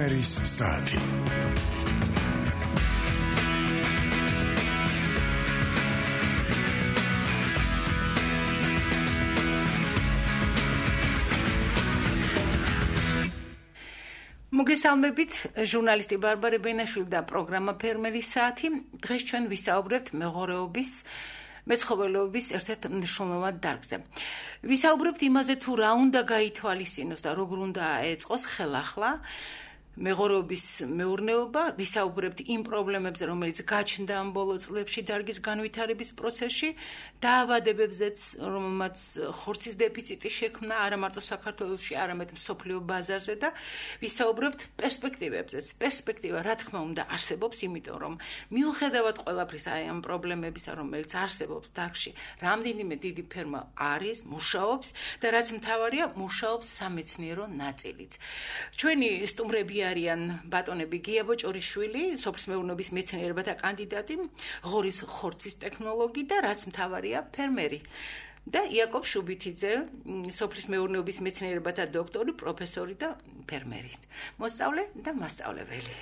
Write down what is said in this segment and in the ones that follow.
ფერმერის საათი. მოგესალმებით, ჟურნალისტი ბარბარე ბენაშვილი და პროგრამა ფერმერის საათი. დღეს ჩვენ ვისაუბრებთ მეღორეობის მეცხოველეობის ერთ-ერთ მნიშვნელოვან დარგზე. ვისაუბრებთ იმაზე, თუ რა უნდა გაითვალისწინოს და როგორ უნდა ეწყოს ხელახლა მეღორეობის მეურნეობა. ვისაუბრებთ იმ პრობლემებზე, რომელიც გაჩნდა ამ ბოლო წლებში დარგის განვითარების პროცესში, დაავადებებზეც, რომელმაც ხორცის დეფიციტი შექმნა არა მარტო საქართველოში, არამედ მსოფლიო ბაზარზე და ვისაუბრებთ პერსპექტივებზეც. პერსპექტივა, რა თქმა უნდა, არსებობს, იმიტომ რომ მიუხედავად ყველაფრის ამ პრობლემებისა, რომელიც არსებობს დარგში, რამდენიმე დიდი ფერმა არის, მუშაობს და რაც მთავარია, მუშაობს სამეცნიერო ნაწილიც. ჩვენი სტუმრები არიან ბატონები გია ბოჭორიშვილი, სოფლის მეურნეობის მეცნიერებათა კანდიდატი, ღორის ხორცის ტექნოლოგი და რაც მთავარია, ფერმერი. და იაკობ შუბითიძე, სოფლის მეურნეობის მეცნიერებათა დოქტორი, პროფესორი და ფერმერი. მოსწავლე და მასწავლებელი.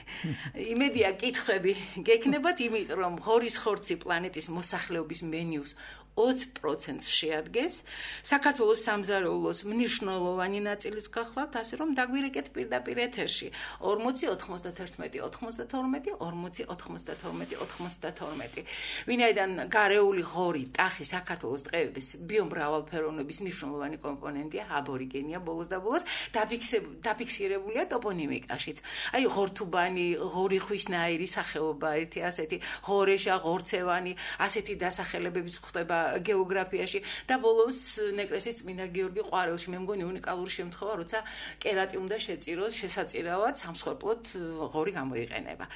იმედია კითხვები გექნებათ, იმიტომ რომ ღორის ხორცი პლანეტის მოსახლეობის მენიუს 20% შეადგენს. საქართველოს სამზარეულოს მნიშვნელოვანი ნაწილის გახლავთ, ასე რომ დაგვირეკეთ პირდაპირ ეთერში 40 91 92 40 92 92. ვინაიდან გარეული ღორი ტახი საქართველოს ტყეების ბიომრავალფეროვნების მნიშვნელოვანი კომპონენტია, აბორიგენია ბოლოს და ბოლოს დაფიქსირებულია ტოპონიმიკაშიც. აი ღორთუბანი, ღორი ხვისნაირი სახეობა ერთი ასეთი, ღორეშა, ღორცევანი, ასეთი დასახელებებიც ხდება გეოგრაფიაში და ბოლოს ნეკრესის წმინდა გიორგი ყვარელში. მე მგონი უნიკალური შემთხვევა, როცა კერატი უნდა შეწიროს შესაძირავად სამსხვერპლოდ ღორი გამოიყენება.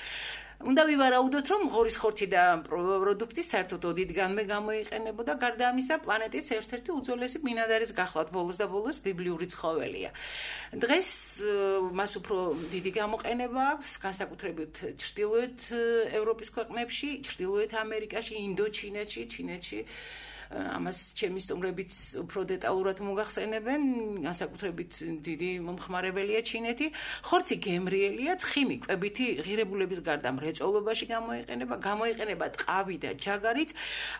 უნდა ვივარაუდოთ, რომ ღორის ხორცი და პროდუქტი საერთოდ ოდითგანვე გამოიყენებოდა, გარდა ამისა, პლანეტის ერთ-ერთი უძველესი ბინადარის გახლავთ, ბოლოს და ბოლოს ბიბლიური ცხოველია. დღეს მას უფრო დიდი გამოყენება აქვს, განსაკუთრებით ჩრდილოეთ ევროპის ქვეყნებში, ჩრდილოეთ ამერიკაში, ინდოჩინეთში, ჩინეთში. ამას ჩემი სტუმრებიც უფრო დეტალურად მოგახსენებენ, განსაკუთრებით დიდი მომხმარებელია ჩინეთი. ხორცი გემრიელია, ცხიმი კვებითი ღირებულების გარდა მრეწველობაში გამოიყენება ტყავი და ჯაგარიც,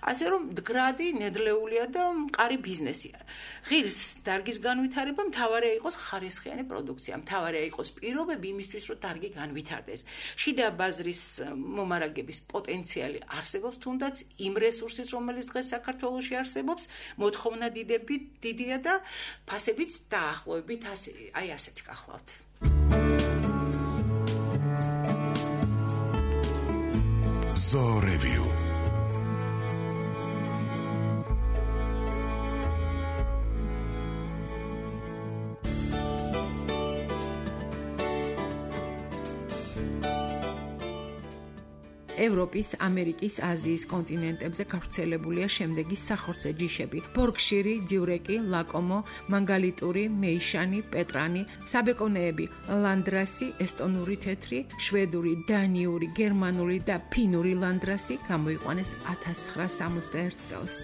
ასე რომ მდგრადი, ნედლეულია და მყარი ბიზნესია. ღირს დარგის განვითარება მთავარია იყოს ხარისხიანი პროდუქცია, მთავარია იყოს პირობები იმისთვის, რომ დარგი განვითარდეს. შიდა ბაზრის მომარაგების პოტენციალი არსებობს, თუნდაც იმ რესურსის, რომელიც დღეს საქართველოში არსებობს, მოთხოვნა დიდია და ფასებიც დაახლოებით აი ასეთი გახლავთ. Zoo Review. ევროპის, ამერიკის, აზიის კონტინენტებზე გავრცელებულია შემდეგი სახორცე ჯიშები: ბორკშირი, დიურეკი, ლაკომო, მანგალიტური, მეიშანი, პეტრანი, საბეკონეები, ლანდრასი, ესტონური თეთრი, შვედური, დანიური, გერმანული და ფინური ლანდრასი გამოიყვანეს 1961 წელს.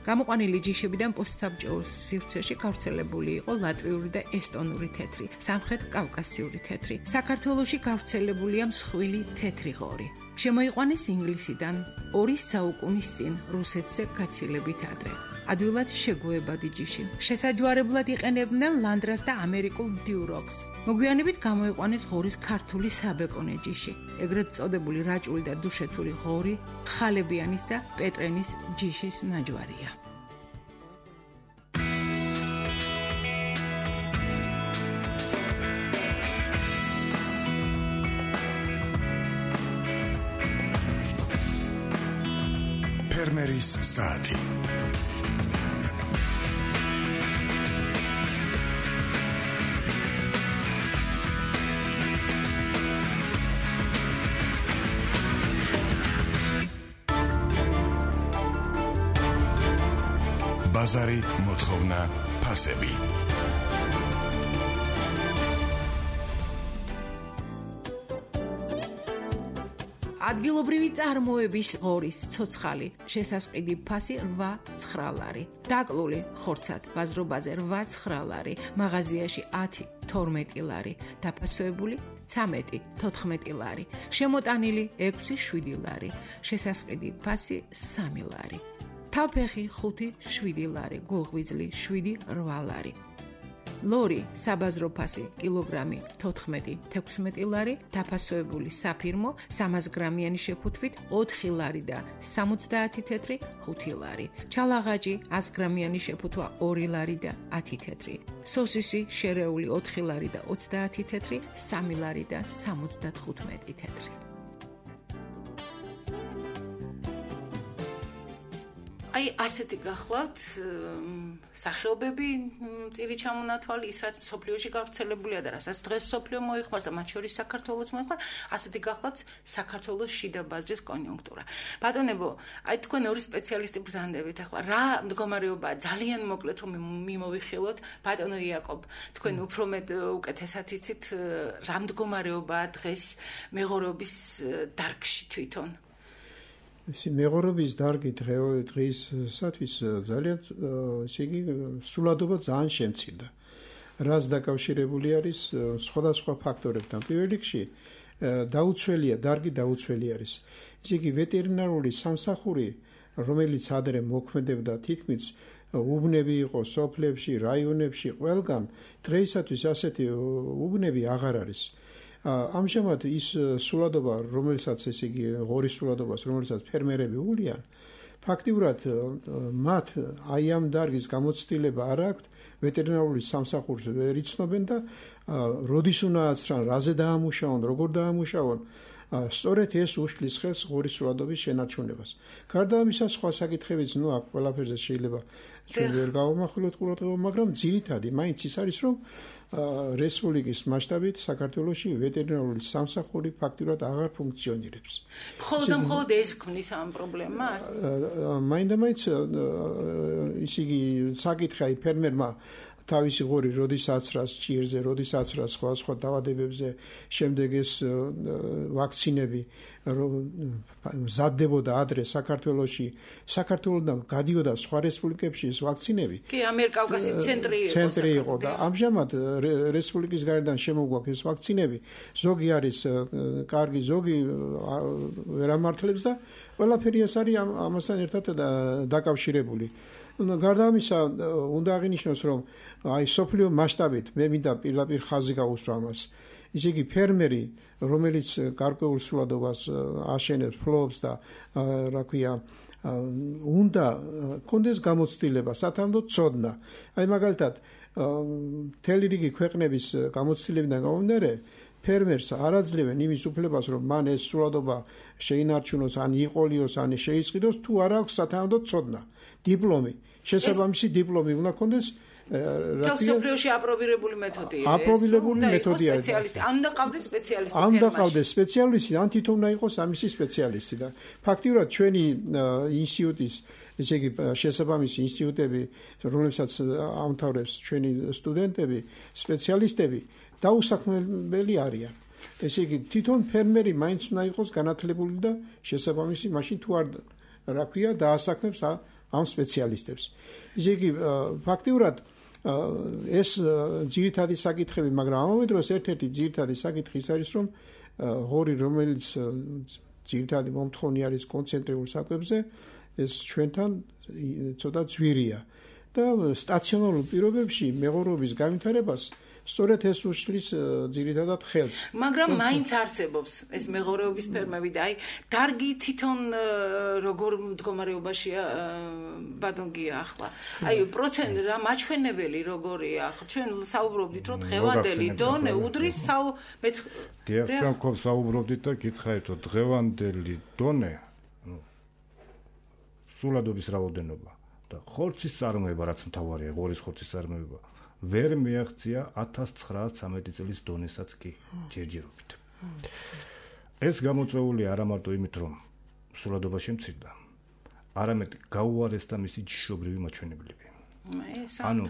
გამოყვანილი ჯიშებიდან პოსტსაბჭოურ სივრცეში გავრცელებული იყო ლატვიური და ესტონური თეთრი, სამხრეთ კავკასიური თეთრი. საქართველოში გავრცელებულია მსხვილი თეთრი ღორი. შემოიყვანეს ინგლისიდან 2 საუკუნის წინ რუსეთზე გაცილებით ადრე. ადვილად შეგუებადი ჯიში. შესაჯვარებლად იყენებდნენ ლანდრას და ამერიკულ დიუროქს. მოგვიანებით გამოიყვანეს ღორის ქართული საბეკონე ჯიში, ეგრეთ წოდებული რაჭული და დუშეთური ღორი, ხალებიანის და პეტრენის ჯიშის ნაჯვარია. ფერმერის საათი. ბაზარი, მოთხოვნა, ფასები. ადგილობრივი წარმოების ღორის ცოცხალი შესასყიდი ფასი 8-9 ლარი, დაკლული ხორცად ვაზრობაზე 8-9 ლარი, მაღაზიაში 10-12 ლარი, დაფასოებული 13-14 ლარი, შემოტანილი 6-7 ლარი, შესასყიდი ფასი 3 ლარი, თავფეხი 5-7 ლარი, გულღვიძლი 7-8 ლარი. ლორი საბაზრო ფასი კილოგრამი 14-16 ლარი, დაფასოებული საფირმო 300 გრამიანი შეფუთვით 4 ლარი და 70 თეთრი 5 ლარი. ჩალაღაჭი 100 გრამიანი შეფუთვა 2 ლარი და 10 თეთრი. სოსისი შერეული 4 ლარი და 30 თეთრი, 3 ლარი და 75 თეთრი. აი ასეთი გახლავთ სახეობები წირი ჩამონათვალი, ის რაც მსოფლიოში გავრცელებულია და რასაც დღეს მსოფლიო მოიხმარს და მათ შორის საქართველოს მოიხმარს, ასეთი გახლავთ საქართველოს შიდა ბაზრის კონიუნქტურა. ბატონებო, აი თქვენ ორი სპეციალისტი ბრძანდებით ახლა რა მდგომარეობაა, ძალიან მოკლედ რომ მიმოვიხილოთ, ბატონო იაკობ, თქვენ უფრო მეტ უკეთესად იცით რა მდგომარეობაა დღეს მეღორეობის დარგში თვითონ. მეღორეობის დარგი დღეისათვის ძალიან სულადობა ძალიან შემცირდა. რაც დაკავშირებული არის სხვადასხვა ფაქტორებთან. პირველ რიგში დარგი დაუცველი არის. ისე იგი ვეტერინარული სამსახური, რომელიც ადრე მოქმედებდა თითქმის უბნები იყო სოფლებში, რაიონებში, ყველგან დღეისათვის ასეთი უბნები აღარ არის. ამჟამად ის სულადობა, რომელსაც ესე იგი ღორის სულადობას, რომელსაც ფერმერები უვლიან, ფაქტიურად მათ აი ამ დარგის გამოცდილება არ აქვთ, ვეტერინარული სამსახურს ვერ იცნობენ და როდის უნდა აცრან, რაზე დაამუშავონ, როგორ დაამუშავონ, სწორედ ეს უშლის ხელს ღორის სულადობის შენარჩუნებას. გარდა ამისა, სხვა საკითხებიც აქ ყველაფერზე შეიძლება ჩვენ ვერ გავამახვილოთ ყურადღება, მაგრამ ძირითადი მაინც ის არის, რომ რესპუბლიკის მასშტაბით საქართველოში ვეტერინარული სამსახური ფაქტიურად აღარ ფუნქციონირებს. მხოლოდ ეს ქმნის ამ პრობლემას? მაინდა-მაინც ის იგი საკითხი აი ფერმერმა თავისი ღორი როდის აცრას ჭირზე, როდის აცრას სხვა დაავადებებზე, შემდეგ ეს ვაქცინები მზადდებოდა ადრე საქართველოში, საქართველოდან გადიოდა სხვა რესპუბლიკებში ეს ვაქცინები. კი, ამიერკავკასიის ცენტრი იყო და ამჟამად რესპუბლიკის გარედან შემოგვაქვს ეს ვაქცინები. ზოგი არის კარგი, ზოგი ვერ ამართლებს და ყველაფერი ეს არის ამასთან ერთად დაკავშირებული. გარდა ამისა, უნდა აღინიშნოს, რომ აი სოფლიო მასშტაბით მე მინდა პირდაპირ ხაზი გაუსვა ამას. ისე იგი ფერმერი, რომელიც გარკვეულ სულადობას აშენებს, ფლობს და რა ქვია, უნდა კონდეს გამოცდილება, სათანადო ცოდნა. აი მაგალითად, მთელი რიგი ქვეყნების გამოცდილებიდან გამომდინარე, ფერმერს არ აძლევენ იმის უფლებას, რომ მან ეს სულადობა შეინარჩუნოს, ან იყოლიოს, ან შეისყიდოს, თუ არ აქვს სათანადო ცოდნა, დიპლომი. შესაბამისი დიპლომი უნდა კონდეს. მსოფლიოში აპრობირებული მეთოდია. აპრობირებული მეთოდია. ან უნდა ყავდეს სპეციალისტი. ან უნდა ყავდეს სპეციალისტი, ან თვითონ უნდა იყოს ამისი სპეციალისტი და ფაქტიურად ჩვენი ინსტიტუტის, ესე იგი შესაბამისი ინსტიტუტები, რომლებსაც ამთავრებს ჩვენი სტუდენტები, სპეციალისტები დაუსაქმებელი არიან. ესე იგი თვითონ ფერმერი მაინც უნდა იყოს განათლებული და შესაბამისი მაშინ თუ არ რა ქვია დაასაქმებს ამ სპეციალისტებს. ისე იგი ფაქტიურად ეს ძირითადი საკითხები, მაგრამ ამავე დროს ერთ-ერთი ძირითადი საკითხი ის არის, რომ ღორი, რომელიც ძირითადი მომთხოვნი არის კონცენტრირებულ საკვებზე, ეს ჩვენთან ცოტა ძვირია და სტაციონარულ პირობებში მეღორეობის განვითარებას სწორედ ეს უშლის ძირითადად ხელს. მაგრამ მაინც არსებობს ეს მეღორეობის ფერმები და აი დარგი თვითონ როგორ მდგომარეობაშია ბატონგია ახლა. აი პროცენტი რა მაჩვენებელი როგორია? ჩვენ საუბრობდით რომ დღევანდელი დონე უდრის დიახ, ჩვენ ხო საუბრობდით და გითხარით რომ დღევანდელი დონე სულადობის რაოდენობა და ხორცის წარმოება, რაც მთავარია, ღორის ხორცის წარმოება ვერ მიაღწია 1913 წლის დონესაც კი ჯერჯერობით. ეს გამოწვეული არა მარტო იმით, რომ სულადობა შემცირდა, არამედ გაუარესდა მისი ჯიშობრივი მაჩვენებლები. ანუ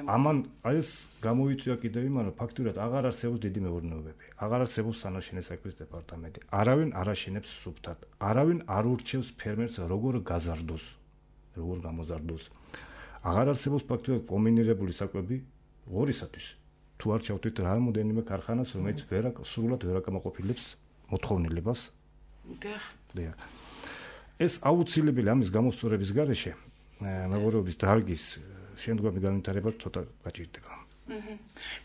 ამან ეს გამოიწვია კიდევ იმან, რომ ფაქტურად აღარ არსებობს დიდი მეურნეობები, აღარ არსებობს სანაშენე საქმის დეპარტამენტი, არავინ არ აშენებს სუფთად, არავინ არ ურჩევს ფერმერს როგორ გაზარდოს, როგორ გამოზარდოს. აღარ არსებობს ფაქტურად კომბინირებული საკვები ღორისათვის. თუ არ ჩავთვით რამოდენიმე ქარხანას, რომელიც სრულად ვერ აკმაყოფილებს მოთხოვნილებას. დიახ. ეს აუცილებელი ამის გამოსწორების გარეშე მეღორეობის დარგის შემდგომი განვითარება ცოტა გაჭირდება.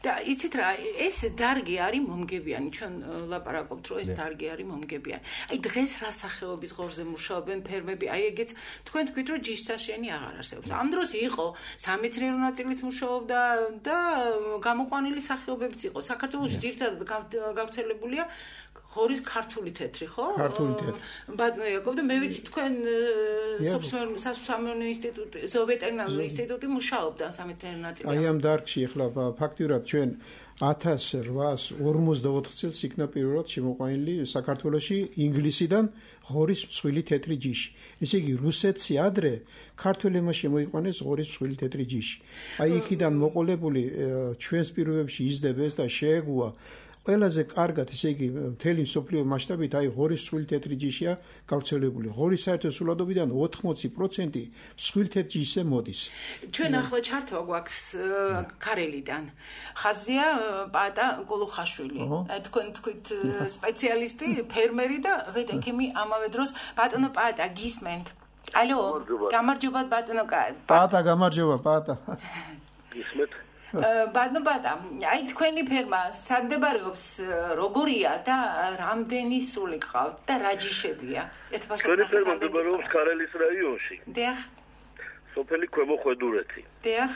და იცით რა, ეს დარგი არის მომგებიანი, ჩვენ ლაპარაკობთ, რომ ეს დარგი არის მომგებიანი. აი დღეს რა სახეობის ღორზე მუშაობენ ფერმები, აი ეგეც თქვენ თქვით, რომ ჯიშსაშენი აღარ არსებობს. ამ დროს იყო სამეცნიერო ნაწილიც მუშაობდა და გამოყვანილი სახეობებიც იყო. საქართველოში ძირითადად გავრცელებულია ღორის ქართული თეთრი, ხო? ქართული თეთრი. ბატონო იაკობ და მე ვიცი თქვენ სასოფლო ინსტიტუტი, ზოოვეტერინარული ინსტიტუტი მუშაობდა სამეცნიერო ნაწილში. აი ამ დარგში ახლა ფაქტურად ჩვენ 1854 წელს იქნა პირველად შემოყვანილი საქართველოში ინგლისიდან ღორის მსხვილი თეთრი ჯიში. ესე იგი რუსეთში ადრე ქართველებმა შემოიყვანეს ღორის მსხვილი თეთრი ჯიში. აი იქიდან მოყოლებული ჩვენს პირობებში იზრდება და შეეგუა ყველაზე კარგად, ესე იგი, მთელი მსოფლიო მასშტაბით აი ღორის მსხვილი თეთრი ჯიშია გავრცელებული. ღორის საერთო სულადობიდან 80% მსხვილი თეთრი ჯიშზე მოდის. ჩვენ ახლა ჩართვა გვაქვს ქარელიდან. ხაზია პატა გულუხაშვილი. თქვენ თქვით სპეციალისტი, ფერმერი და ვეტექიმი ამავე დროს. ბატონო პატა, გისმენთ? ალო, გამარჯობა ბატონო პატა, გამარჯობა პატა. გისმენთ? ბატონო პატა, აი თქვენი ფერმა სად მდებარეობს, როგორია და რამდენი სული გყავთ და რა ჯიშებია? ერთბაშად თქვენი ფერმა მდებარეობს ქარელის რაიონში. დიახ. სოფელი ქვემო ხვედურეთი. დიახ.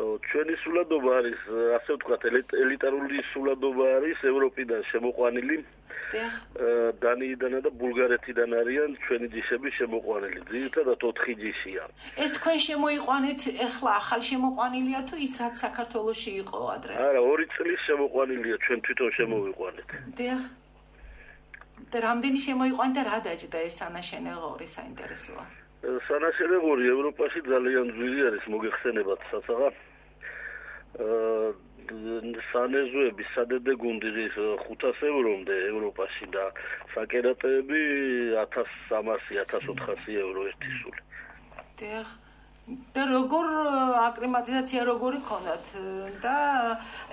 ჩვენი სულადობა არის, ასე ვთქვათ, ელიტარული სულადობა არის ევროპიდან შემოყვანილი. დიახ. დანიიდან და ბულგარეთიდან არიან ჩვენი ჯიშები შემოყვანილი. ძირითადად 4 ჯიშია. ეს თქვენ შემოიყვანეთ, ეხლა ახალ შემოყვანილია თუ ის რაც საქართველოში იყო ადრე? არა, 2 წლის შემოყვანილია, ჩვენ თვითონ შემოვიყვანეთ. დიახ. და რამდენი შემოიყვანეთ და რა დაჭდა ეს სანაშენე ღორი, საინტერესოა. სანაშენე ღორი ევროპაში ძალიან ძვირი არის, მოგეხსენებათ სასაღა. სანეზოები სადედე გუნდი 500 ევრომდე ევროპაში და საკერატები 1300-1400 евро ერთი სული. დიახ. და როგორ აკლიმატიზაცია როგორი ქონდათ და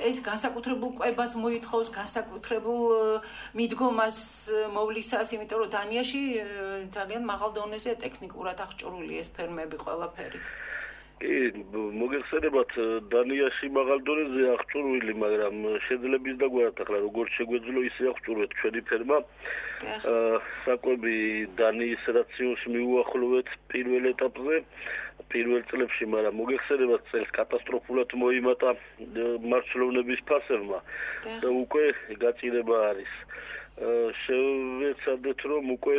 ეს განსაკუთრებულ კვებას მოითხოვს, განსაკუთრებულ მიდგომას მოვლისას, იმიტომ რომ დანიაში ძალიან მაღალ დონეზე ტექნიკურად აღჭურვილი ეს ფერმები ყველაფერი. მოგეხსენებათ დანიაში მაღალ დონეზე აღჭურვილი, მაგრამ შეძლებს დაგვართ ახლა როგორც შეგვეძლო ისე აღჭურვეთ ჩვენი ფერმა. საკვები დანიის რაციონს მიუახლოვეთ პირველ ეტაპზე, პირველ წლებში, მაგრამ მოგეხსენებათ წელს კატასტროფულად მოიმატა მარცვლოვნების ფასებმა და უკვე გაჭირება არის. შევეცადეთ რომ უკვე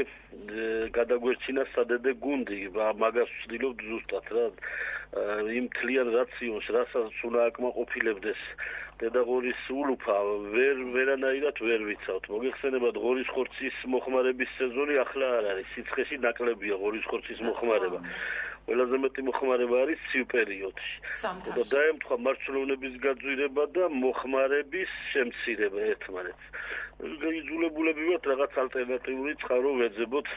გადაგვერჩინა სადედე გუნდი, მაგას ვცდილობთ ზუსტად რა იმ თლიან რაციონს, რასაც უნდა აკმაყოფილებდეს დედაღორის ულუფა ვერანაირად ვერ ვიცავთ. მოგეხსენებათ ღორის ხორცის მოხმარების სეზონი ახლა არ არის, სიცხეში ნაკლებია ღორის ხორცის მოხმარება. ყველაზე მეტი მოხმარება არის ცივ პერიოდში. და დაემთხვა მარცვლოვნების გაძვირება და მოხმარების შემცირება ერთმანეთს. იძულებულები ვართ რაღაც ალტერნატიული წყარო ვეძებოთ.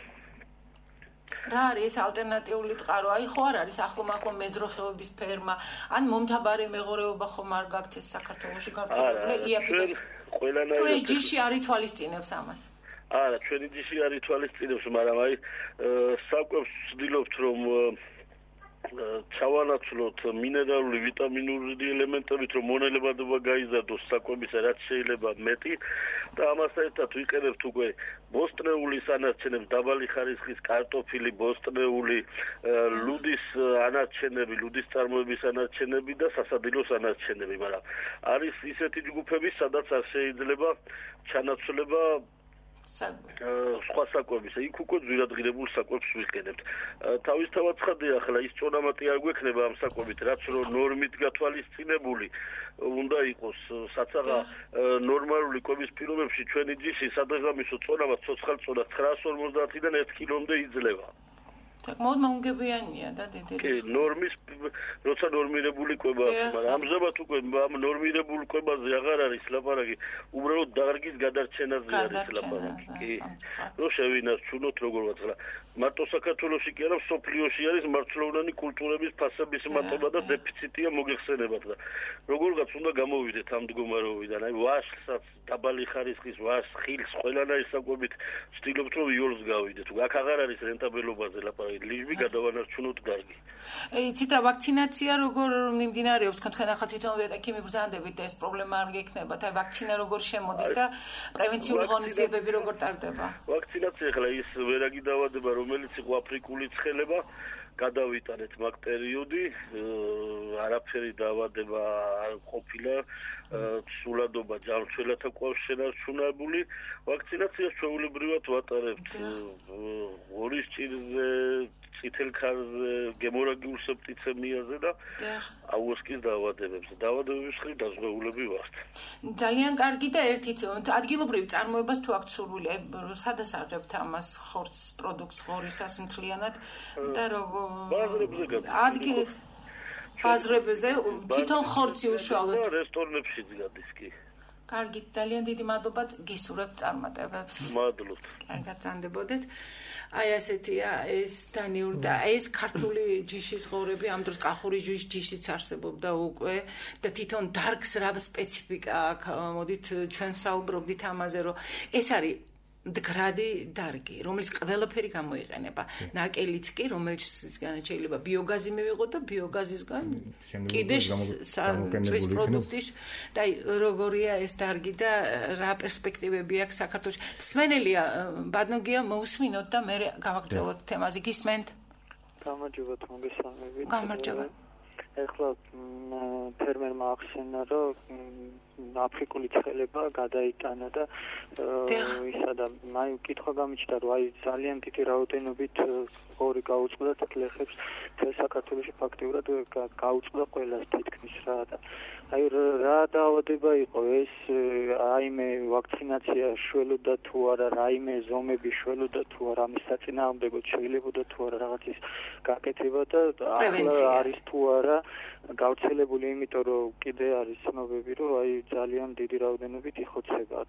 რა არის ეს ალტერნატიული წყარო? აი ხო არ არის ახლომახლო მეძროხეობის ფერმა, ან მომთაბარე მეღორეობა ხომ არ გაქვთ ეს საქართველოში გავრცელებული? იაფი. თუ ეს ჯიში არ ითვალისწინებს ამას? არა, ჩვენი ჯიში არ ითვალისწინებს, მაგრამ აი საკვებს ვცდილობთ რომ ჩავანაცვლოთ მინერალური ვიტამინური ელემენტებით, რომ მონელებადობა გაიზარდოს საკვებისა რაც შეიძლება მეტი და ამასთან ერთად ვიყენებთ უკვე ბოსტნეულის ანარჩენებს, დაბალი ხარისხის კარტოფილი, ბოსტნეული, ლუდის ანარჩენები, ლუდის წარმოების ანარჩენები და სასადილოს ანარჩენები, მაგრამ არის ისეთი ჯგუფები, სადაც არ შეიძლება ჩანაცვლება სხვა საკვების, იქ უკვე ძვირადღირებულ საკვებს ვიყენებთ. თავისთავად ცხადია, ახლა ის წონამატი არ გვექნება ამ საკვებით, რაც რომ ნორმით გათვალისწინებული უნდა იყოს საცაღა ნორმალური კვების პირობებში ჩვენი ჯიში სადღეღამისო წონამა ცოცხალ წონას 950-დან 1 კილომდე იძლევა. საკმაოდ მოუნგებიანია და დიდი კი, ნორმის როცა ნორმირებული კვება აქვს, მაგრამ ამჟამად უკვე ამ ნორმირებულ კვებაზე აღარ არის ლაპარაკი, უბრალოდ დარგის გადარჩენაზე არის ლაპარაკი. კი. რო შევინარჩუნოთ როგორღაც რა. მარტო საქართველოში კი არა, სოფლიოში არის მარცვლოვნანი კულტურების ფასების მატება და დეფიციტია მოგეხსენებათ და როგორღაც უნდა გამოვიდეთ ამ მდგომარეობიდან. აი ვაშლსაც, დაბალი ხარისხის ვაშლს, ხილს ყველანაირი საკვებით ვცდილობთ რომ იოლს გავიდეთ. აქ აღარ არის რენტაბელობაზე ლაპარაკი. ლიჟბი გადავანარჩუნოთ დარგი. იცით რა ვაქცინაცია როგორ მიმდინარეობს, თქვენ ახლა თვითონ ეტაკი მიბრძანდებით და ეს პრობლემა არ გექნებათ. აი ვაქცინა როგორ შემოდის და პრევენციული ღონისძიებები როგორ ტარდება? ვაქცინაცია ახლა ის ვერაგი დაავადება, რომელიც იყო აფრიკული ცხელება, გადავიტანეთ მაგ პერიოდი, არაფერი დაავადება არ ყოფილა, სულადობა ჯანმრთელთა კავშირს შენარჩუნებული. ვაქცინაციას ჩვეულებრივად ვატარებთ ღორის ჭირზე, წითელ ქარზე, გემორაგიულ სეპტიცემიაზე და აუესკის დაავადებებზე. დაავადებების ხრი დაზღვეულები ვართ. ძალიან კარგი და ერთით ადგილობრივ წარმოებას თუ აქ სურვილი, სადასაღებთ ამას ხორცს პროდუქტს ღორისას მთლიანად და როგორ ადგილს ბაზრებზე თვითონ ხორცი უშუალოდ რესტორნებში გადის კი. კარგი, ძალიან დიდი მადლობა გისურვებთ წარმატებებს. მადლობთ. კარგად წანდებოდეთ. აი ასეთია ეს დანიური და ეს ქართული ჯიშის ღორები ამ დროს კახური ჯიშიც არსებობდა უკვე და თვითონ დარგს რა სპეციფიკა აქვს. მოდით ჩვენ ვსაუბრობდით ამაზე, რომ ეს არის მდგრადი დარგი, რომელიც ყველაფერი გამოიყენება. ნაკელიც კი, რომელიცგან შეიძლება ბიოგაზი მივიღოთ და ბიოგაზისგან კიდე წვის პროდუქტის და როგორია ეს დარგი და რა პერსპექტივები აქვს საქართველოში. მსმენელია ბადნოგია მოусმინოთ და მე გავაგრძელოთ თემაზე. გისმენთ? გამარჯობა, მოგესალმებით. გამარჯობა. ეხლა ფერმერმა ახსენა, რომ აფრიკული ცხელება გადაიტანა და ისა და მაი კითხვა გამიჩნდა, რომ აი ძალიან დიდი რაოდენობით ღორი გაუწყდა და ლეხებს საქართველოში ფაქტიურად გაუწყდა ყველას თითქმის რა და აი რა დაავადება იყო ეს, რაიმე ვაქცინაცია შველოდა თუ არა, რაიმე ზომები შველოდა თუ არა, ამის საწინააღმდეგოდ შეიძლებოდა თუ არა რაღაცის გაკეთება და ახლა არის თუ არა გავრცელებული, იმიტომ რომ კიდე არის ცნობები, რომ აი ძალიან დიდი რაოდენობით იხოცება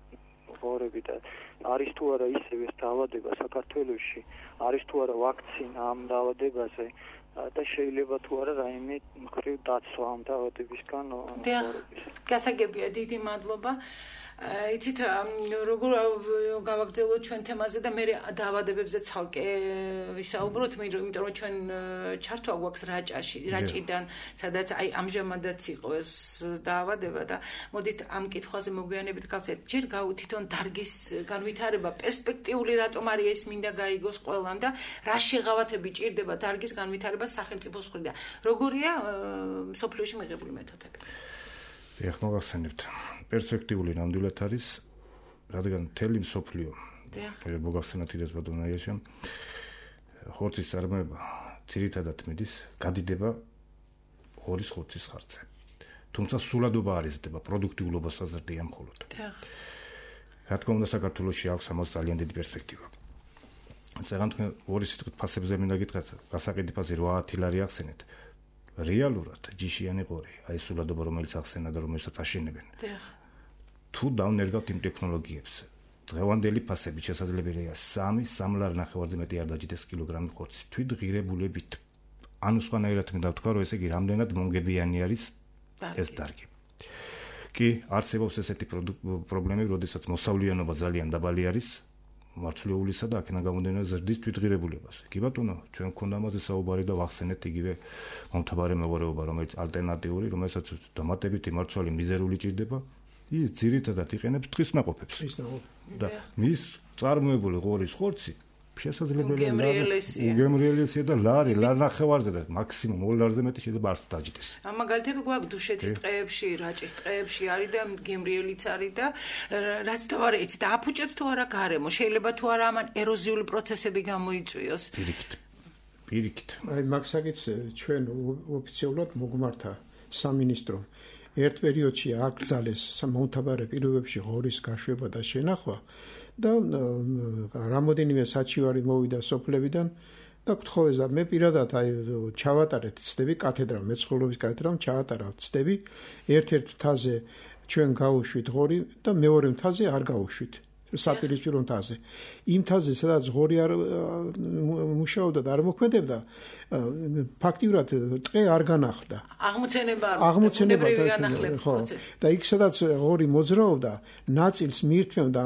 ღორები და არის თუ არა ისევ ეს დაავადება საქართველოში, არის თუ არა ვაქცინა ამ დაავადებაზე და შეიძლება თუ არა რაიმე მხრივ დაცვა ამ დაავადებისგან ღორების. გასაგებია, დიდი მადლობა. იცით რა, როგორ გავაგრძელოთ ჩვენ თემაზე და მე დაავადებებზე ცალკე ვისაუბროთ, იმიტომ რომ ჩვენ ჩართვა გვაქვს რაჭიდან, სადაც აი ამჟამადაც იყო ეს დაავადება და მოდით ამ კითხვაზე მოგვიანებით გავცეთ. ჯერ თვითონ დარგის განვითარება პერსპექტიული რატომ არის ეს მინდა გაიგოს ყველამ და რა შეღავათები ჭირდება დარგის განვითარებას სახელმწიფოს მხრიდან. როგორია მსოფლიოში მიღებული მეთოდები? ეხლა გავხსენებთ. პერსპექტიული ნამდვილად არის, რადგან მთელი მსოფლიო მოგახსენათ იდეას ბატონაიაშა, ხორცის წარმოება ძირითადად მიდის, გადიდება ღორის ხორცის ხარჯზე. თუმცა სულადობა არ იზრდება, პროდუქტიულობასაც ზრდია მხოლოდ. რა თქმა უნდა, საქართველოში აქვს ამას ძალიან დიდი პერსპექტივა. წეგან თქვენ ორი სიტყვით ფასებზე მინდა გითხრათ, გასაყიდი ფასი 80 ლარი ახსენეთ. რეალურად ჯიშიანი ღორი, აი სულადობა რომელიც ახსენა და რომელსაც აშენებენ. თუ დავნერგავთ იმ ტექნოლოგიებს, დღევანდელი ფასებით შესაძლებელია 3 ლარი ნახევარზე მეტი არ დაჯდეს კილოგრამი ხორცის თვით ღირებულებით. ანუ სხვანაირად მინდა ვთქვა, რომ ესე იგი რამდენად მონგებიანი არის ეს დარგი. კი, არსებობს ესეთი პრობლემები, როდესაც მოსავლიანობა ძალიან დაბალი არის, მარცვლეულისა და აქედან გამომდინარე ზრდის თვითღირებულებას. კი ბატონო, ჩვენ გქონდა ამაზე საუბარი და ვახსენეთ იგივე მომთაბარე მეღორეობა, რომელიც ალტერნატიული, რომელსაც დამატებითი მარცვალი მიზერული ჭირდება, ის ძირითადად იყენებს ტყის ნაყოფებს. და მის წარმოებული ღორის ხორცი შესაძლებელია უგემრიელესია და ლარი ნახევარზე და მაქსიმუმ 2 ლარზე მეტი შეიძლება არც დაჯდეს. ამ მაგალითები გვაქვს დუშეთის ტყეებში, რაჭის ტყეებში არის და გემრიელიც არის და რაც თავარი იცით, აფუჭებს თუ არა გარემო, შეიძლება თუ არა ამან ეროზიული პროცესები გამოიწვიოს. პირიქით. აი მაგსაკიც ჩვენ ოფიციალურად მოგმართა სამინისტრომ. ერთ პერიოდში აკრძალეს მომთაბარე პირობებში ღორის გაშვება და შენახვა და რამოდენიმე საჩივარი მოვიდა სოფლებიდან და გთხოვეს და მე პირადად ჩავატარეთ ცდები კათედრა მეცხოველობის კათედრამ ჩავატარა ცდები ერთ-ერთ მთაზე ჩვენ გავუშვით ღორი და მეორე მთაზე არ გავუშვით საპირისპირო მთაზე იმ მთაზე სადაც ღორი არ მუშაობდა და არ მოქმედებდა ფაქტიურად ტყე არ განახლდა აღმოცენება და იქ სადაც ღორი მოძრაობდა ნაწილს მიირთმევდა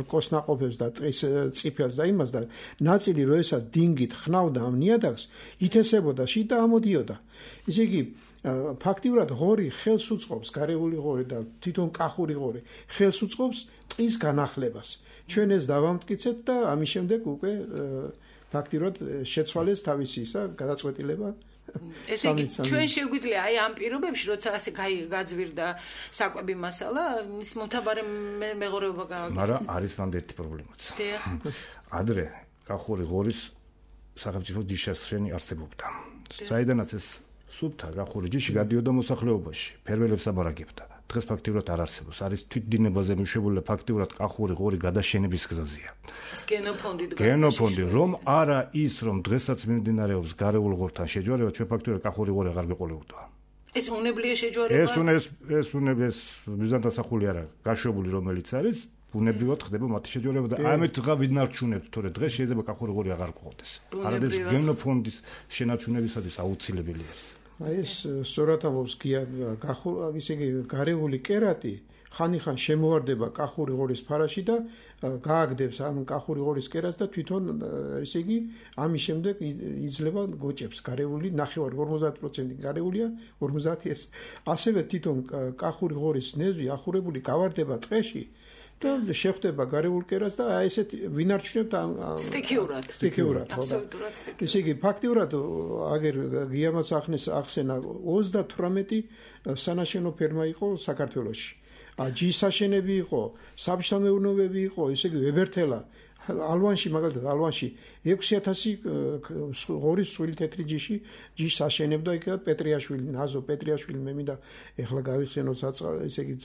კოსნაყოფებს და ტყის წიფელს და იმას და ნაწილი როდესაც დინგით ხნავდა ამ ნიადაგს ითესებოდა შიდა ამოდიოდა ისე იგი ფაქტიურად ღორი ხელს უწყობს გარეული ღორი და თვითონ კახური ღორი ხელს უწყობს ტყის განახლებას ჩვენ ეს დავამტკიცეთ და ამის შემდეგ უკვე ფაქტიურად შეცვალეს თავისი ისა გადაწყვეტილება ესე იგი ჩვენ შეგვიძლია აი ამ პირობებში როცა ასე გაძვირდა საკვები მასალა ის მოთაბარე მეღორეობა გავაკეთეთ მაგრამ არის მანდ ერთი პრობლემაც ადრე კახური ღორის სახელმწიფო ჯიშასშენი არსებობდა საიდანაც ეს სუფთა კახური ჯიში გადიოდა მოსახლეობაში ფერმერებს აბარაგებდა დღეს ფაქტიურად არ არსებობს არის თვითდინებაზე მიშვებული ფაქტიურად კახური ღორი გადაშენების გზაზეა გენოფონდი რომ არა ის რომ დღესაც მიმდინარეობს გარეულ ღორთან შეჯვარება ჩვენ ფაქტიურად კახური ღორი აღარ გვეყოლებოდა ეს უნებლიე შეჯვარება ეს უნების ბიზანტასახული არა გაშვებული რომელიც არის უნებრივად ხდება მათი შეჯვარება და ამით ღა ვინარჩუნებთ თორე დღეს შეიძლება კახური ღორი აღარ გყავდეს არადეს გენოფონდის შენარჩუნებისათვის აუცილებელი არის აი ეს სწორად ამბობს გია ისე იგი გარეული კერატი ხანიხან შემოვარდება კახური ღორის ფარაში და გააგდებს ამ კახური ღორის კერატს და თვითონ ისე იგი ამის შემდეგ იძლევა გოჭებს გარეული 50% გარეულია 50 ეს ასევე თვითონ კახური ღორის ნეზვი ახურებული გავარდება ტყეში და შეხვდება გარეულ კერატს და აი ესეთ ვინარჩუნებთ სტიქიურად აბსოლუტურად ისე იგი ფაქტიურად აგერ გიამაც ახსენა 38 სანაშენო ფერმა იყო საქართველოში ჯიშსაშენები იყო საბჭოთამეურნეობები იყო ისე იგი ვებერთელა ალვანში მაგალითად ალვანში 6000 ღორის სული თეთრი ჯიშს აშენებდა იქ პეტრიაშვილი ნაზო პეტრიაშვილი მე მინდა ეხლა გავიხსენოთ ისე იგი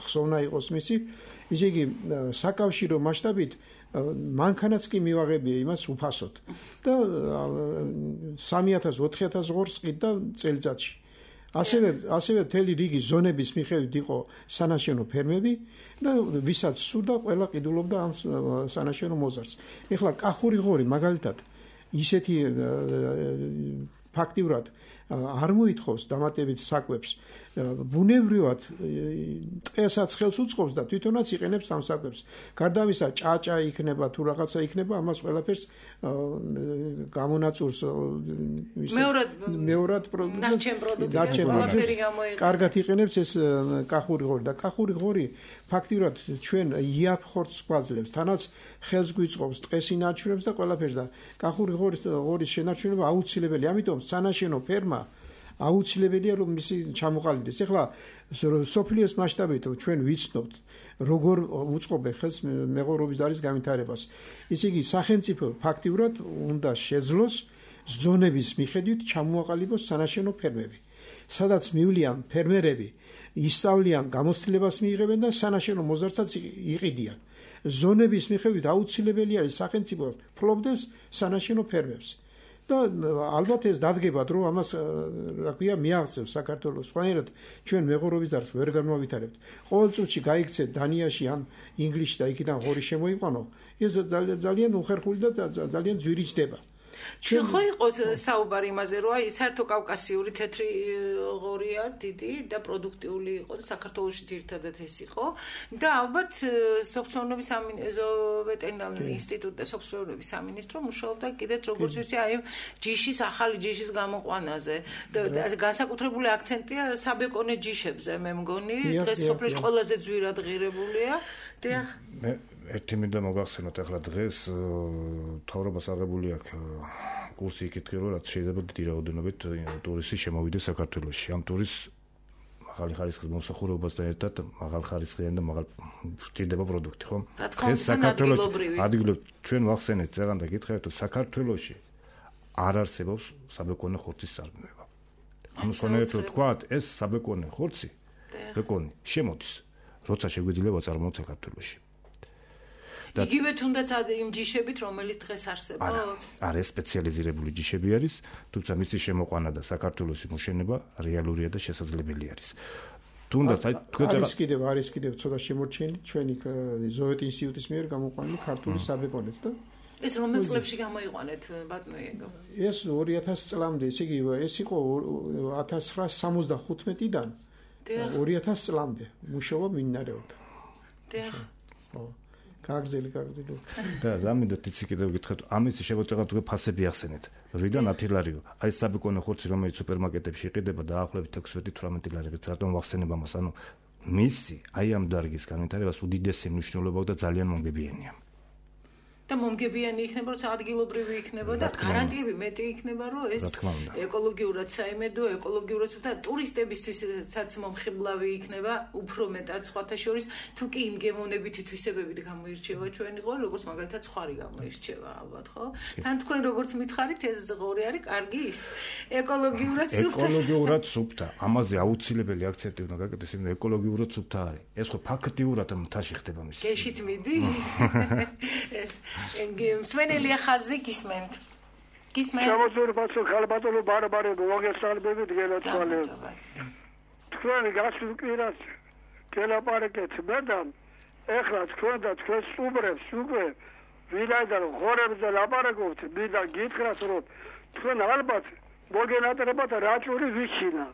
ხსოვნა იყოს მისი ისე იგი საკავშირო მასშტაბით მანქანაც კი მივაღებია იმას უფასოდ და 3000-4000 ღორს ყიდდა წელიწადში ასევე მთელი რიგი ზონების მიხედვით იყო სანაშენო ფერმები და ვისაც სურდა ყველა ყიდულობდა ამ სანაშენო მოზარდს. ეხლა კახური ღორი მაგალითად ისეთი ფაქტიურად არ მოითხოვს დამატებით საკვებს ბუნებრივად ტყესაც ხელს უწყობს და თვითონაც იყენებს ამ საკვებს. გარდა ამისა ჭაჭა იქნება თუ რაღაცა იქნება ამას ყველაფერს გამონაწურს მეორად პროდუქტი კარგად იყენებს ეს კახური ღორი და კახური ღორი ფაქტიურად ჩვენ იაფ ხორცს გვაძლევს თანაც ხელს გვიწყობს ტყეს ინარჩუნებს და ყველაფერს და კახური ღორის შენარჩუნება აუცილებელია ამიტომ სანაშენო ფერმა აუცილებელია რომ მისი ჩამოყალიბდეს. ეხლა სოფლიოს მასშტაბით ჩვენ ვიცნობთ როგორ უწყობენ ხელს მეღორობის დარის განვითარებას. ისე იგი სახელმწიფო ფაქტიურად უნდა შეძლოს ზონების მიხედვით ჩამოაყალიბოს სანაშენო ფერმები. სადაც მივლიან ფერმერები, ისწავლიან, გამოცდილებას მიიღებენ და სანაშენო მოზარდსაც იყიდიან. ზონების მიხედვით აუცილებელი არის სახელმწიფო ფლობდეს სანაშენო ფერმებს. და ალბათ ეს დადგებად რომ ამას რა ქვია მიაღწევს საქართველოს სხვანაირად ჩვენ მეღორობის დარგს ვერ განმავითარებთ. ყოველ წუთში გაიქცეთ დანიაში ან ინგლისში და იქიდან ღორი შემოიყვანო ეს ძალიან უხერხული და ძალიან ძვირი ჯდება. ჩვენ ხო იყოს საუბარი იმაზე რომ აი საერთო კავკასიური თეთრი ღორია დიდი და პროდუქტიული იყო და საქართველოში ძირითადად ეს იყო და ალბათ სოფლმეურნეობის ვეტერინარული ინსტიტუტი და სოფლმეურნეობის სამინისტრო მუშაობდა კიდეც როგორც ვიცი აი ჯიშის ახალი ჯიშის გამოყვანაზე და განსაკუთრებული აქცენტია საბეკონე ჯიშებზე მე მგონი დღეს სოფლში ყველაზე ძვირად ღირებულია და ერთი მინდა მოგახსენოთ ახლა დღეს თავრობას აღებული აქვს კურსი იკითხე რომ რაც შეიძლება დიდი რაოდენობით ტურისტი შემოვიდეს საქართველოში. ამ ტურისტს მაღალი ხარისხის მომსახურებასთან ერთად მაღალ ხარისხიანი და მაღალ ჭირდება პროდუქტი, ხო? დღეს საქართველოში ადგილობრივ ჩვენ ვახსენეთ ზეგან და გითხრათ რომ საქართველოში არ არსებობს საბეკონე ხორცის წარმოება. ამ კონკრეტულად ვთქვათ, ეს საბეკონე ხორცი ბეკონი შემოდის, როცა შეგვიძლია ვაწარმოოთ საქართველოში. იგივე თუნდაც იმ ჯიშებით, რომელიც დღეს არსებობს? არა, სპეციალიზირებული ჯიშები არის, თუმცა მისი შემოყვანა და საქართველოს იმუშენება რეალურია და შესაძლებელი არის. თუნდაც არის კიდევ ცოტა შემორჩენილი ჩვენი ზოვეთ ინსტიტუტის მიერ გამოყვანილი ქართული საბეჭდნეც და ეს რომელ წლებში გამოიყვანეთ ბატონო იეგო? ეს 2000 წლამდე, ესე იგი ეს იყო 1975-დან 2000 წლამდე მუშაობა მიმდინარეობდა. ხო. გაგზელი. და ზამინდათ იცი კიდევ გითხეთ, ამის შემოწევა თუ ფასები ახსენეთ. რიდან 10 ლარიო? აი საბეჭდნე ხორცი რომელიც სუპერმარკეტებში იყიდება დაახლოებით 16-18 ლარიღით, რატომ ვახსენებ ამას? ანუ მისი აი ამ დარგის განვითარებას უდიდესი მნიშვნელობა აქვს და ძალიან მომგებიანია. და მომგებიანი იქნება, როცა ადგილობრივი იქნება და გარანტიები მეტი იქნება, რომ ეს ეკოლოგიურად საიმედო, ეკოლოგიურად და ტურისტებისთვისაც მომხიბლავი იქნება, უფრო მეტად სხვათა შორის, თუ კი იმ გემოვნებითი თვისებებით გამოირჩევა ჩვენი ღორი, როგორც მაგალითად ცხარი გამოირჩევა, ალბათ, ხო? თან თქვენ როგორც მითხარით, ეს ღორი არის კარგი ის ეკოლოგიურად სუფთა. ეკოლოგიურად სუფთა. ამაზე აუცილებელი აქცენტი უნდა გაკეთდეს, იმ ეკოლოგიურად სუფთა არის. ეს ხო ფაქტიურად მთაში ხდება მის. გეშით მიდის? მსმენელია ხაზი გისმენთ. შემოძურბაცო ხალბატონო ბარბარე მოგესალმებით გელათვალე. თქვენი გასულკირას გელაპარაკეთ და ეხლა თქვენ და თქვენ სუბრებს უკვე ვინაიდან ღორებზე ლაპარაკობთ, მინდა გითხრათ რომ თქვენ ალბათ მოგენატრებათ რაჭური ვიჩინა.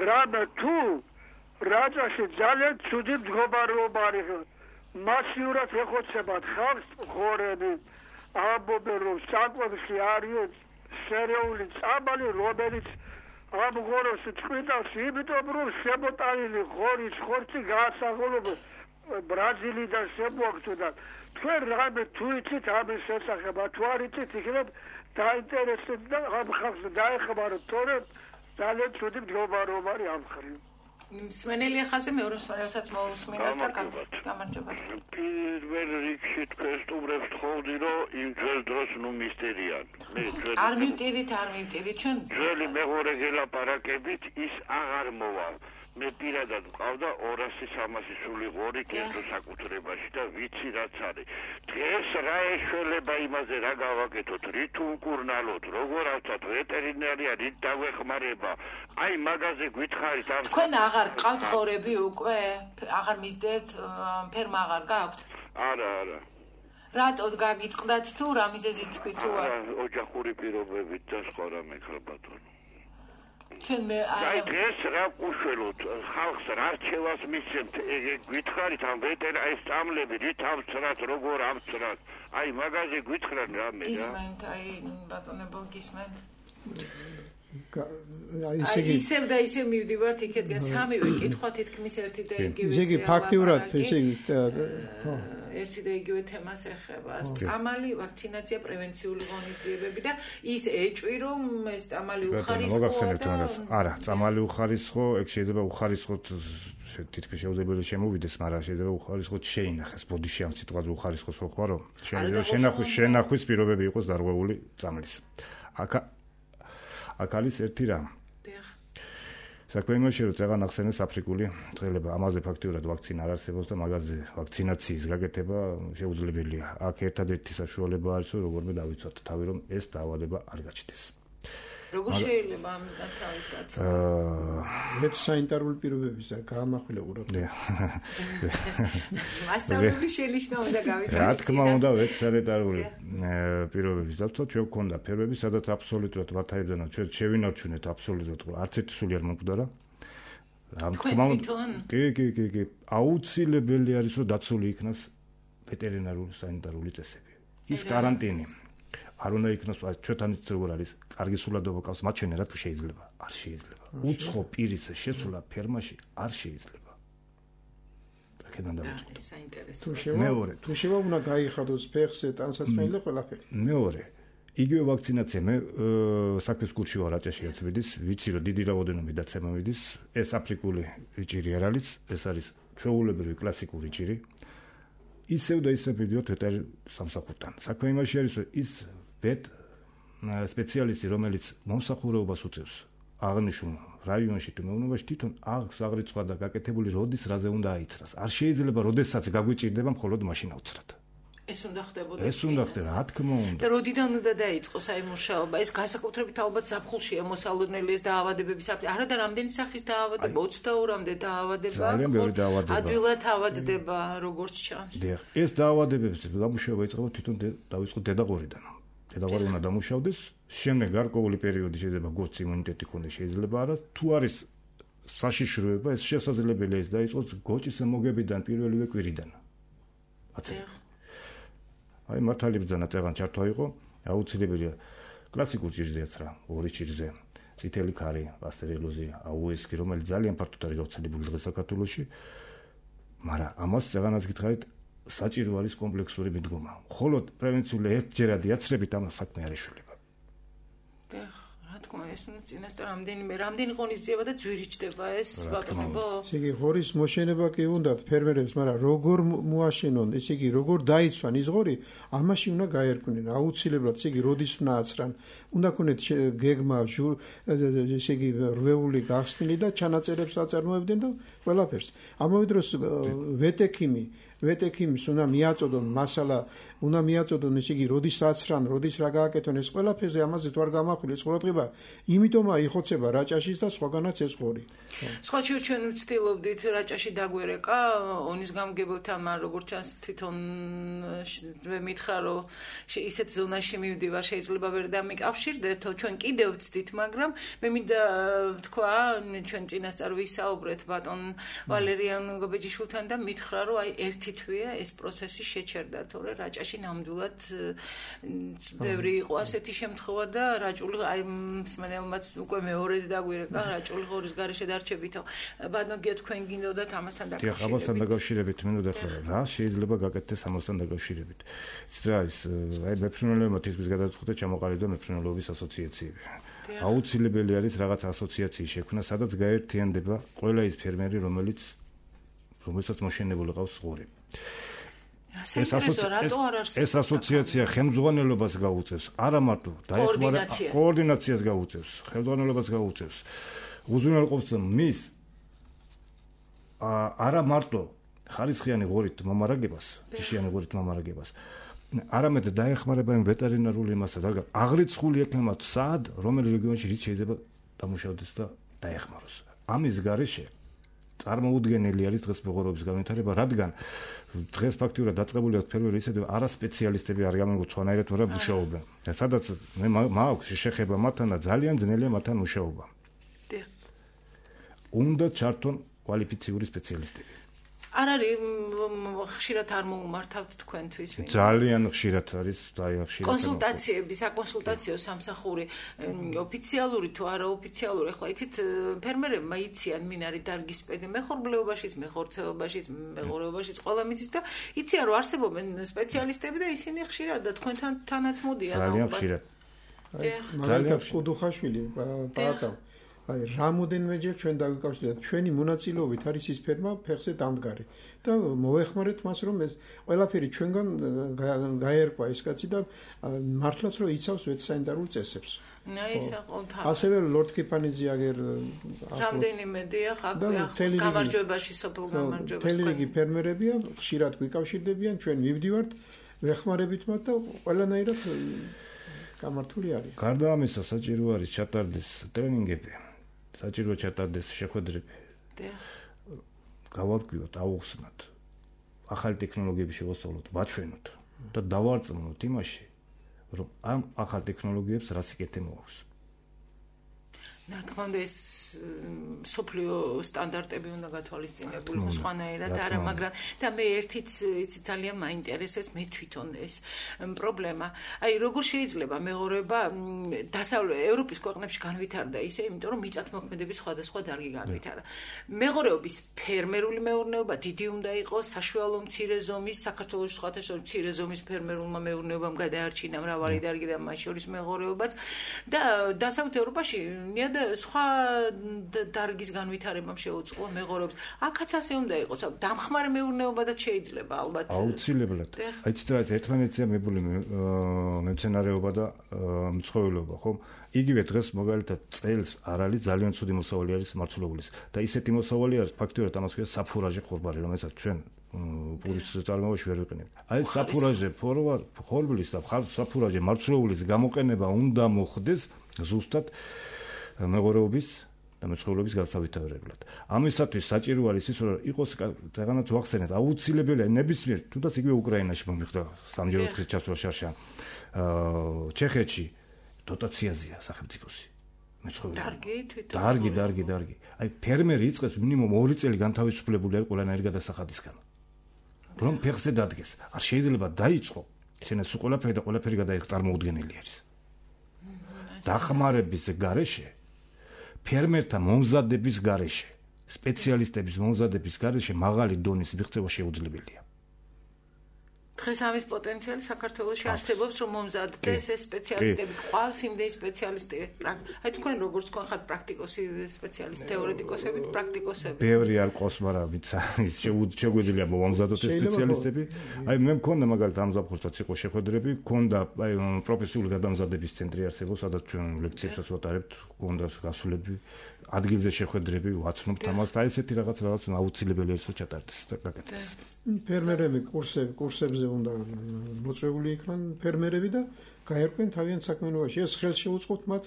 რამე თუ რაჭაში ძალიან ცუდი მდგომარეობა არის. მასიურად ეხოცებათ ხალხს ღორები, ამბობენ რომ საკვებში არის სერიული წამალი, რომელიც ამ ღორებს წყვიტავს, იმიტომ რომ შემოტანილი ღორის ხორცი გაასაღოლება ბრაზილიდან შემოაქვთ. თქვენ რამე თუ იცით ამის შესახებ, თუ არ იცით, იქნებ დაინტერესებთ და ამ ხალხს დაეხმაროთ, თორემ ძალიან ცუდი მდგომარეობა არის ამ მხრივ. მსმენელია ხაზე მეორე მსმენელსაც მოусმინოთ და გამარჯობა. პირველ რიგში თქვენ სტუმრებს თხოვდი რომ იმ ძველ დროს ნუ მისტერიან. არ მივტირით, ჩვენ ძველი მეღორე გელაპარაკებით ის აღარ მოვალ. მე პირადად მყავდა 200-300 სული ღორი კერძო საკუთრებაში და ვიცი რაც არის. დღეს რა ეშველება იმაზე რა გავაკეთოთ, რით უკურნალოთ, როგორ ავწათ ვეტერინარია, რით დავეხმარება. აი მაგაზე გითხარით ამ თქვენ აღარ ყავთ ღორები უკვე? აღარ მისდევთ, ფერმა აღარ გაქვთ? არა. რატოდ გაგიწყდათ თუ რა მიზეზით თქვით თუ არა? ოჯახური პირობებით და სხვა რამე ხალბატონო. ჩვენ მე აი დღეს რა უშველოთ ხალხს რა რჩევას მისცემთ გითხარით ამ ვეტერინარი სტამლები რით ამცრათ როგორ ამცრათ აი მაგაზე გითხრან რამე რა გისმენთ აი ბატონებო გისმენთ ისევ და ისევ მივდივართ იქეთგან სამივე კითხვა თითქმის ერთი და იგივე ისე იგი ფაქტიურად ესე იგი ერთი და იგივე თემას ეხება წამალი ვაქცინაცია პრევენციული ღონისძიებები და ის ეჭვი რომ ეს წამალი უხარისხოა და არა წამალი უხარისხო ეგ შეიძლება უხარისხოთ თითქმის შეუძლებელი შემოვიდეს მაგრამ შეიძლება უხარისხოთ შეინახეს ბოდიში ამ სიტყვაზე უხარისხოს რო ხარო შენახვის პირობები იყოს დარღვეული წამლის აქ არის ერთი რამ. საქმე იმაშია, რომ წეგან ახსენეს აფრიკული წყლება, ამაზე ფაქტიურად ვაქცინა არ არსებობს და მაგაზე ვაქცინაციის გაკეთება შეუძლებელია. აქ ერთადერთი საშუალება არის, რომ როგორმე დავიცვათ თავი, რომ ეს დაავადება არ გაჩნდეს. როგორ შეიძლება ამისგან თავის გაცემა? ვეცსანიტარული პირობებისა გაამახვილა ყურადღება. მასშტაბური შენიშვნა უნდა გავითვალისწინოთ. რა თქმა უნდა, ვეცსანიტარული პირობების დაცვა ჩვენ გვქონდა ფერმები, სადაც აბსოლუტურად ვათაებდანა ჩვენ შევინარჩუნეთ აბსოლუტურად არც ერთი სული არ მომკვდარა. რა თქმა უნდა, კი, აუცილებელი არის, რომ დაცული იქნას ვეტერინარული სანიტარული წესები. ის каранტინი არ უნდა იქნას ჩვენთან ის როგორ არის კარგი სულადობა ყავს მათ ჩვენ რა თუ შეიძლება არ შეიძლება უცხო პირის შესვლა ფერმაში არ შეიძლება აქედან დავიწყო მეორე თუ შევა უნდა გაიხადოს ფეხზე ტანსაცმელი და ყველაფერი მეორე იგივე ვაქცინაცია მე საქმის კურსში ვარ რაჭაშიაც ვიდის ვიცი რომ დიდი რაოდენობით დაცემა ვიდის ეს აფრიკული ჭირი არ არის ეს არის ჩვეულებრივი კლასიკური ჭირი ისევ და ისევ ვიდიოთ ვეტერინარ სამსახურთან საქმე იმაში არის რომ ის ვეტ სპეციალისტი რომელიც მომსახურებას უწევს აღნიშნულ რაიონში თუ მეურნეობაში თვითონ აღს აღრიცხვა და გაკეთებული როდის რაზე უნდა აიცრას არ შეიძლება როდესაც გაგვიჭირდება მხოლოდ მაშინ ავცრათ ეს უნდა ხდებოდა. ეს უნდა ხდება, რა თქმა უნდა. და როდიდან უნდა დაიწყოს აი მუშაობა? ეს განსაკუთრებით ალბათ ზაფხულშია მოსალოდნელი ეს დაავადებების არა და რამდენი სახის დაავადება? 22-მდე დაავადება. ძალიან ბევრი დაავადება. ადვილად ავადდება, როგორც ჩანს. დიახ, ეს დაავადებების დამუშავება იწყება თვითონ დაიწყო დედაყორიდან. დედაყორი უნდა დამუშავდეს, შემდეგ გარკვეული პერიოდი შეიძლება გორც იმუნიტეტი ქონდეს, შეიძლება არა. თუ არის საშიშროება, ეს შესაძლებელია ის დაიწყოს გოჭის მოგებიდან პირველივე კვირიდან. აი მართალი ბრძანა წეგან ჩართვა იყო, აუცილებელია კლასიკურ ჭირზეაც რა, ორი ჭირზე, წითელი ქარი, პასტერელოზი, აუესკი, რომელიც ძალიან ფართოდ არის გავრცელებული დღეს საქართველოში, მაგრამ ამას წეგანაც გითხარით, საჭირო არის კომპლექსური მიდგომა. მხოლოდ პრევენციული ერთჯერადი აცრებით ამას საქმე არ ეშველება. რა თქმა ეს წინასწარ რამდენი ღონისძიება და ძვირიჭდება ეს ბატონებო. ესე იგი ღორის მოშენება კი უნდათ ფერმერებს, მაგრამ როგორ მოაშენონ, ესე იგი როგორ დაიცვან ის ღორი, ამაში უნდა გაერკვნენ. აუცილებლად ესე იგი როდის უნდა აცრან, უნდა ქონეთ გეგმა, ესე იგი რვეული გახსნილი და ჩანაწერებს აწარმოებდნენ და ყველაფერს. ამავე დროს ვეტექიმის უნდა მიაწოდონ მასალა, უნდა მიაწოდონ ესე იგი როდის აცრან, როდის რა გააკეთონ, ეს ყველაფერზე ამაზე თუ არ გამახვილ ეს ყურადღება, იმიტომაა იხოცება რაჭაშის და სხვაგანაც ეს ღორი. სხვა ჩვენ ვცდილობდით რაჭაში დაგვერეკა ონის გამგებელთან, მაგრამ როგორც ჩანს თვითონ მითხრა რომ ისეთ ზონაში მივდივარ, შეიძლება ვერ დამიკავშირდეთ, ჩვენ კიდევ ვცდით, მაგრამ მე მინდა თქვა, ჩვენ წინასწარ ვისაუბრეთ ბატონ ვალერიან გობეჯიშვილთან და მითხრა რომ აი ერთი თვეა ეს პროცესი შეჩერდა, თორე რაჭაში ნამდვილად ბევრი იყო ასეთი შემთხვევა და რაჭული აი მსმენელმაც უკვე მეორედ დაგვირეკა რაჭული ღორის გარეშე დარჩებითო. ბატონო გია თქვენ გინდოდათ ამასთან დაკავშირებით. დიახ, ამასთან დაკავშირებით მინდა ახლა რა შეიძლება გაკეთდეს ამასთან დაკავშირებით. იცით რა ის აი მეფრინველებმა თითქმის გადაწყვიტა ჩამოყალიბდა მეფრინველობის ასოციაციები. აუცილებელი არის რაღაც ასოციაციის შექმნა, სადაც გაერთიანდება ყველა ის ფერმერი, რომელსაც მოშენებული ყავს ღორი. ეს ასოციაცია ხელმძღვანელობას გაუწევს, არა მარტო კოორდინაციას გაუწევს, ხელმძღვანელობას გაუწევს. უზრუნველყოფს მის არა მარტო ხარისხიანი ღორით მომარაგებას, ჯიშიანი ღორით მომარაგებას, არამედ დაეხმარება იმ ვეტერინარულ იმასა და აღრიცხული ექნება სად, რომელი რეგიონში რით შეიძლება დამუშავდეს და დაეხმაროს. ამის გარეშე წარმოუდგენელი არის დღეს მეღორეობის განვითარება, რადგან დღეს ფაქტიურად დაწყებული აქვს ფერმერი ისე არასპეციალისტები არ გამიგო სხვანაირად ვარ მუშაობენ. სადაც მე მაქვს შეხება მათთან და ძალიან ძნელია მათთან მუშაობა. უნდა ჩართონ კვალიფიციური სპეციალისტები. არ არის ხშირად არ მოუმართავთ თქვენთვის? ძალიან ხშირად არის, ძალიან ხშირად. კონსულტაციები, საკონსულტაციო სამსახური, ოფიციალური თუ არაოფიციალური, ახლა იცით, ფერმერებმა იციან მინარი დარგისპედი მეხორბლეობაშიც, მეხორცეობაშიც, მეღორეობაშიც, ყველა მიცის და იციან რომ არსებობენ სპეციალისტები და ისინი ხშირად და თქვენთან თანაც მოდიან. ძალიან ხშირად. მაგალითად კუდუხაშვილი პაატა აი რამოდენმეჯერ ჩვენ დავიკავშირეთ ჩვენი მონაწილეობით არის ის ფერმა ფეხზე დამდგარი და მოეხმარეთ მას რომ ეს ყველაფერი ჩვენგან გაერკვა ეს კაცი და მართლაც რომ იცავს ვეტერინარულ წესებს. ასევე ლორდ კიპანიძე აგერ რამდენიმე დიახ გამარჯვებაში სოფელ გამარჯვებაში თელრიგი ფერმერებია ხშირად გვიკავშირდებიან ჩვენ მივდივართ ვეხმარებით მათ და ყველანაირად გამართული არის. გარდა ამისა საჭირო არის ჩატარდეს ტრენინგები, საჭირო ჩატარდეს შეხვედრები. გავარკვიოთ, აუხსნათ, ახალი ტექნოლოგიები შევასწავლოთ, ვაჩვენოთ და დავარწმუნოთ იმაში, რომ ამ ახალ ტექნოლოგიებს რა სიკეთე მოაქვს. რა თქმა უნდა ეს სოფლიო სტანდარტები უნდა გათვალისწინებულიყო სხვანაირად არა, მაგრამ და მე ერთიც იცი ძალიან მაინტერესებს მე თვითონ ეს პრობლემა. აი როგორ შეიძლება მეღორეობა ევროპის ქვეყნებში განვითარდა ისე, იმიტომ რომ მიწათმოქმედების სხვადასხვა დარგი განვითარდა. მეღორეობის ფერმერული მეურნეობა დიდი უნდა იყოს, საშუალო მცირე ზომის, საქართველოს სხვათა შორის მცირე ზომის ფერმერულმა მეურნეობამ გადაარჩინა მრავალი დარგი და მათ შორის მეღორეობაც და დასავლეთ ევროპაში და სხვა დარგის განვითარებამ შეუწყო მეღორეობს. აქაც ასე უნდა იყოს. დამხმარე მეურნეობადაც შეიძლება ალბათ. აუცილებლად. აი ცოტა ერთმანეთზეა მებული მეცენარეობა და მცხოველობა, ხო? იგივე დღეს მაგალითად წელს არ არის ძალიან ცუდი მოსავალი არის მარცვლეულის და ისეთი მოსავალი არის ფაქტიურად ამას ქვია საფურაჟე ხორბალი, რომელსაც ჩვენ პურის წარმოებაში ვერ ვიყენებთ. აი საფურაჟე ხორბლის და საფურაჟე მარცვლეულის გამოყენება უნდა მოხდეს ზუსტად მეღორეობის და მეცხოველების განსავითარებლად. ამისათვის საჭირო არის ის, რომ იყოს რაღაცა ვახსენეთ, აუცილებელია ნებისმიერ, თუნდაც იგივე უკრაინაში მომიხდა სამჯერ 4 ჩასვლა შარშა. ჩეხეთში დოტაციაზეა სახელმწიფოსი. დარგი. აი ფერმერი იწყებს მინიმუმ 2 წელი განთავისუფლებული არის ყველანაირი გადასახადისგან. რომ ფეხზე დადგეს. არ შეიძლება დაიწყო. ისინი სულ ყველაფერი გადაიხ წარმოუდგენელი არის. დახმარების გარეშე, ფერმერთა მომზადების გარეშე, სპეციალისტების მომზადების გარეშე მაღალი დონის მიღწევა შეუძლებელია. დღეს ამის პოტენციალი საქართველოში არსებობს, რომ მომზადდეს ეს სპეციალისტები, ყავს იმდენი სპეციალისტი. აი თქვენ როგორც თქვენ ხართ პრაქტიკოსი სპეციალისტი, თეორეტიკოსებით, პრაქტიკოსები. ბევრი არ ყავს, მაგრამ შეგვიძლია მომზადოთ ეს სპეციალისტები. აი მე მქონდა მაგალითად ამ ზაფხულსაც იყო შეხვედრები, მქონდა აი პროფესიული გადამზადების ცენტრი არსებობს, სადაც ჩვენ ლექციებსაც ვატარებთ, მქონდა გასულები, ადგილზე შეხვედრები, ვაცნობთ ამას და ესეთი რაღაც აუცილებელია ის ჩატარდეს და გაკეთდეს. ფერმერები კურსებზე უნდა მოწვეული იქნან ფერმერები და გაერკვენ თავიანთ საქმიანობაში. ეს ხელს შეუწყობთ მათ,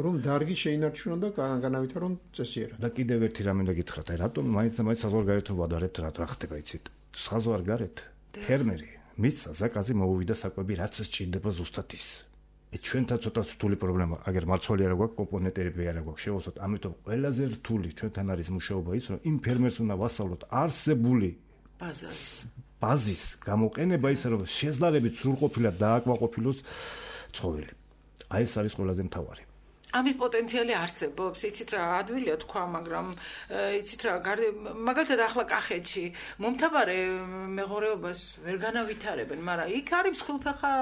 რომ დარგი შეინარჩუნონ და განავითარონ წესიერად. და კიდევ ერთი რამე და გითხრათ, აი რატომ მაინც საზღვარგარეთ ვადარებთ, რა ხდება იცით? საზღვარგარეთ ფერმერი მის ზაკაზე მოუვიდა საკვები, რაც სჭირდება ზუსტად ის. ჩვენთან ცოტა რთული პრობლემა, აგერ მარცვალი არ გვაქვს, კომპონენტები არ გვაქვს, შევოსოთ, ამიტომ ყველაზე რთული ჩვენთან არის მუშაობა ის, რომ იმ ფერმერს უნდა ვასწავლოთ არსებული ბაზის გამოყენება ისე, რომ შეძლარებით სრულყოფილად დააკმაყოფილოს ცხოველი. აი ეს არის ყველაზე მთავარი. ამის პოტენციალი არსებობს, იცით რა, ადვილია თქვა, მაგრამ იცით რა, მაგალითად ახლა კახეთში მომთაბარე მეღორეობას ვერ განავითარებენ, მაგრამ იქ არის მსხვილფეხა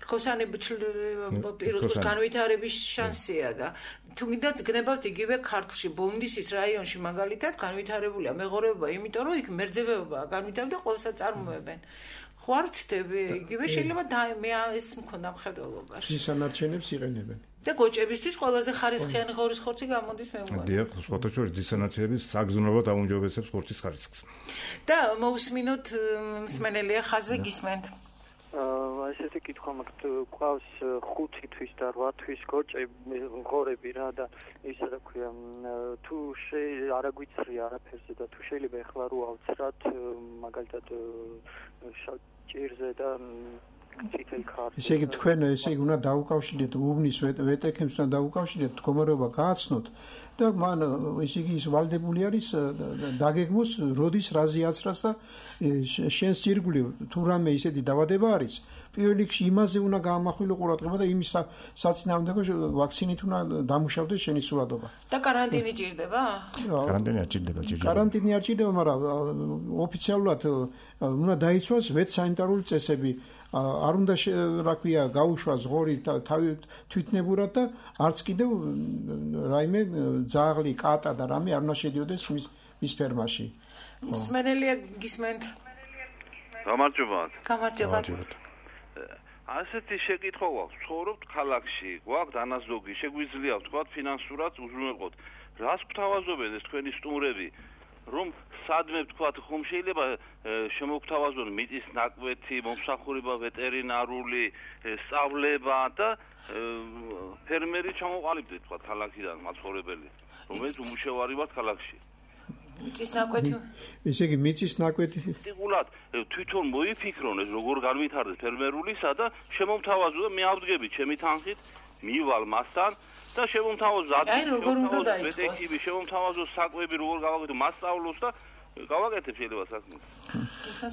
რქოსანი პირუტყვის განვითარების შანსია და თუ გინდათ გნებავთ იგივე ქართლში, ბოლნისის რაიონში მაგალითად განვითარებულია მეღორეობა, იმიტომ რომ იქ მერძევეობაა განვითარებული და ყველასა წარმოებენ. ხო არ ვცდები, იგივე შეიძლება მე ეს მქონდა მხედველობაში. ძისანარჩენებს იყენებენ. და გოჭებისთვის ყველაზე ხარისხიანი ღორის ხორცი გამოდის მე მგონი. დიახ, სხვათა შორის ძისანარჩენების საგზნობლად აუმჯობესებს ხორცის ხარისხს. და მოусმინოთ მსმენელია ხაზზე გისმენთ. ესეთი კითხვა მაქვს, ყავს 5 თვის და 8 თვის გოჭები, ღორები რა და ისა რა ქვია, თუ არ აგვიცრია არაფერზე და თუ შეიძლება ეხლა რო ავცრათ მაგალითად ჭირზე და ციტელ ქართლზე. ესე იგი თქვენ უნდა დაუკავშირდეთ უბნის ვეტექებს და დაუკავშირდეთ მდგომარეობა გააცნოთ და მან ესე იგი ის ვალდებული არის დაგეგმოს როდის რაზე აცრას და შენს ირგვლივ თუ რამე ისეთი დავადება არის პირველ რიგში იმაზე უნდა გაამახვილო ყურადღება და იმის საწინააღმდეგო ვაქცინით უნდა დამუშავდეს შენი სურათობა. და კარანტინი ჭირდება? კარანტინი არ ჭირდება, კარანტინი არ ჭირდება, მაგრამ ოფიციალურად უნდა დაიცვას ვეტსანიტარული წესები. არ უნდა რა ქვია გაუშვას ღორი თვითნებურად და არც კიდევ რაიმე ძაღლი, კატა და რამე არ უნდა შედიოდეს მის ფერმაში. მსმენელია გისმენთ. გამარჯობა. ასეთი შეკითხვა გვაქვს, ცხოვრობთ ქალაქში, გვაქვს დანაზოგი, შეგვიძლია ვთქვათ ფინანსურად უზრუნველყოთ. რას გვთავაზობენ ეს თქვენი სტუმრები? რომ სადმე ვთქვათ, ხომ შეიძლება შემოგთავაზონ მიწის ნაკვეთი, მომსახურება ვეტერინარული, სწავლება და ფერმერი ჩამოყალიბდეთ ვთქვათ ქალაქიდან მაცხოვრებელი, რომელიც უმუშევარი ვართ ქალაქში. მიწის ნაკვეთი. ესე იგი მიწის ნაკვეთი ტიკულად თვითონ მოიფიქრონ ეს როგორ განვითარდეს ფერმერულისა და შემომთავაზო და მე ავდგები ჩემი თანხით, მივალ მასთან და შემომთავაზო ვეტექები, შემომთავაზო საკვები როგორ გავაკეთო, მასწავლოს და გავაკეთებ შეიძლება საქმე.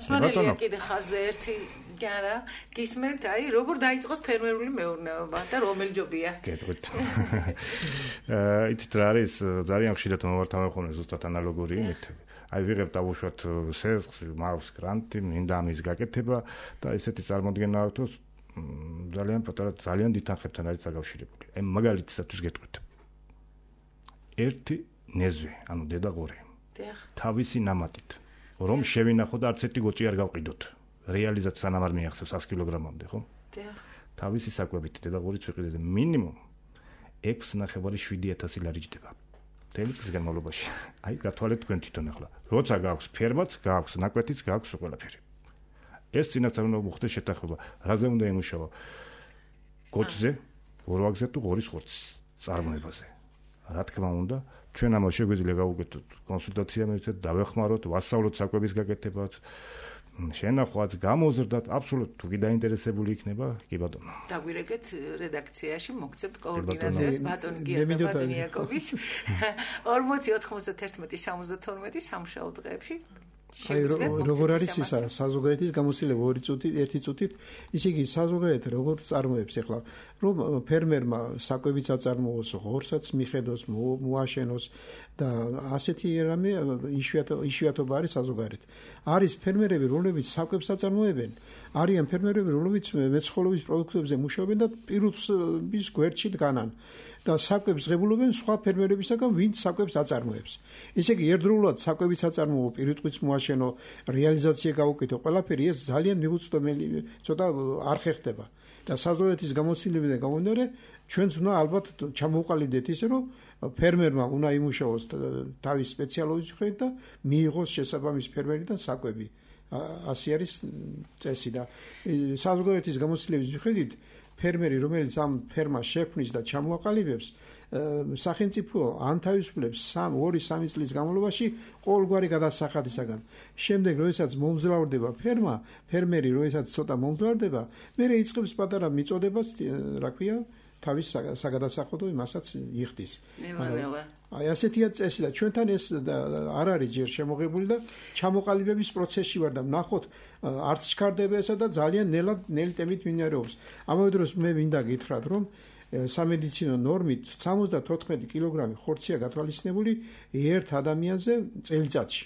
სვანელია კიდე ხაზზე ერთი გარა გისმენთ, აი როგორ დაიწყოს ფერმერული მეურნეობა და რომელი ჯობია? გეტყვით. იცით რა არის, ძალიან ხშირად მოვართავენ ხოლმე ზუსტად ანალოგური იმით. აი ვიღებ დავუშვათ სესხს, მაქვს გრანტი, მინდა ამის გაკეთება და ესეთი წარმოდგენა აქვს, რომ ძალიან პატარა, ძალიან დიდ თანხებთან არის დაკავშირებული. აი მაგალითისათვის გეტყვით. ერთი ნეзвე, ანუ დედა ღორი. თავისი ნამატით, რომ შევინახო და არც ერთი გოჭი არ გავყიდოთ. რეალიზად სანამ არ მიახსევს 100 კილოგრამამდე, ხო? თავისი საკვებით დედა ღორიც ვიყიდეთ მინიმუმ 6,7 ლარი ჯდება. მთელი წლის განმავლობაში. აი გათვალეთ თქვენ თვითონ ახლა. როცა გააქვს ფერმაც, გააქვს ნაკვეთიც, გააქვს ყველაფერი. ეს წინასწარ უნდა მოხდეს შეთანხმება. რაზე უნდა იმუშავა? კოჭზე, ორვაგზე თუ ღორის ხორცის წარმოებაზე. რა თქმა უნდა, ჩვენ ამას შეგვიძლია გავუკეთოთ კონსულტაცია მივცეთ, დავეხმაროთ, ვასწავლოთ საკვების გაკეთებას. შენახვაც გამოზრდათ აბსოლუტურად თუ კი დაინტერესებული იქნება კი ბატონო დაგვირეკეთ რედაქციაში მოგცემთ კოორდინატებს ბატონ გიაკობის 40 91 72 სამშაბათ დღეებში აი როგორ არის ისა საზოგადოების გამოცდილება 2 წუთით 1 წუთით ისე იგი საზოგადოება როგორ წარმოებს ახლა რომ ფერმერმა საკვებიც აწარმოოს ღორსაც მიხედოს მოაშენოს და ასეთი რამე იშვიათობა არის საზოგადოებით არის ფერმერები რომლებიც საკვებს აწარმოებენ არიან ფერმერები რომლებიც მეცხოველეობის პროდუქტებზე მუშაობენ და პირუთების გვერდში დგანან და საკვებს ღებულობენ სხვა ფერმერებისაგან ვინც საკვებს აწარმოებს ესე იგი ერთდროულად საკვებიც აწარმოო პირუთყვის მოაშენო რეალიზაცია გაუკეთო ყველაფერი ეს ძალიან მიუწვდომელი ცოტა არ ხერხდება და საზოგადოების გამოცდილებიდან გამომდინარე ჩვენც უნდა ალბათ ჩამოვყალიბდეთ ისე რომ ფერმერმა უნდა იმუშაოს თავის სპეციალობის მიხედვით და მიიღოს შესაბამის ფერმერიდან საკვები ასე არის წესი და საზოგადოების გამოცდილების მიხედვით ფერმერი რომელიც ამ ფერმას შექმნის და ჩამოაყალიბებს სახელმწიფო ან თავისუფლებს 2-3 წლის განმავლობაში ყოველგვარი გადასახადისაგან შემდეგ როდესაც მომძლავრდება ფერმერი როდესაც ცოტა მომძლავრდება მე იწყებს პატარა მიწოდებას რა ქვია თავის საგადასახადო იმასაც იხდის აი ასეთია წესი და ჩვენთან ეს არ არის ჯერ შემოღებული და ჩამოყალიბების პროცესში ვარ და ვნახოთ არც ჩქარდება ესა და ძალიან ნელი ტემით მინარევს ამავე დროს მე მინდა გითხრათ რომ სამედიცინო ნორმით 74 კილოგრამი ხორცია გათვალისწინებული ერთ ადამიანზე წელიწადში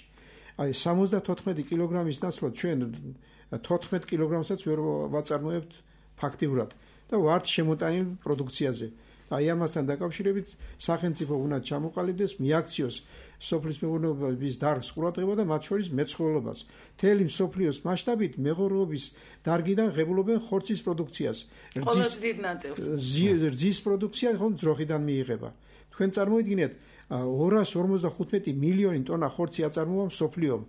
აი 74 კილოგრამის ნაცვლად ჩვენ 14 კილოგრამსაც ვერ ვაწარმოებთ ფაქტიურად და ვართ შემოტანილ პროდუქციაზე. აი ამასთან დაკავშირებით სახელმწიფო უნდა ჩამოყალიბდეს, მიაქციოს სოფლის მეურნეობის დარგს ყურადღება და მათ შორის მეცხოველობას. მთელი მსოფლიოს მასშტაბით მეღორეობის დარგიდან ღებულობენ ხორცის პროდუქციას. ყველაზე დიდ ნაწილს. რძის პროდუქცია ხომ ძროხიდან მიიღება. თქვენ წარმოიდგინეთ 255 მილიონი ტონა ხორცი აწარმოა მსოფლიომ.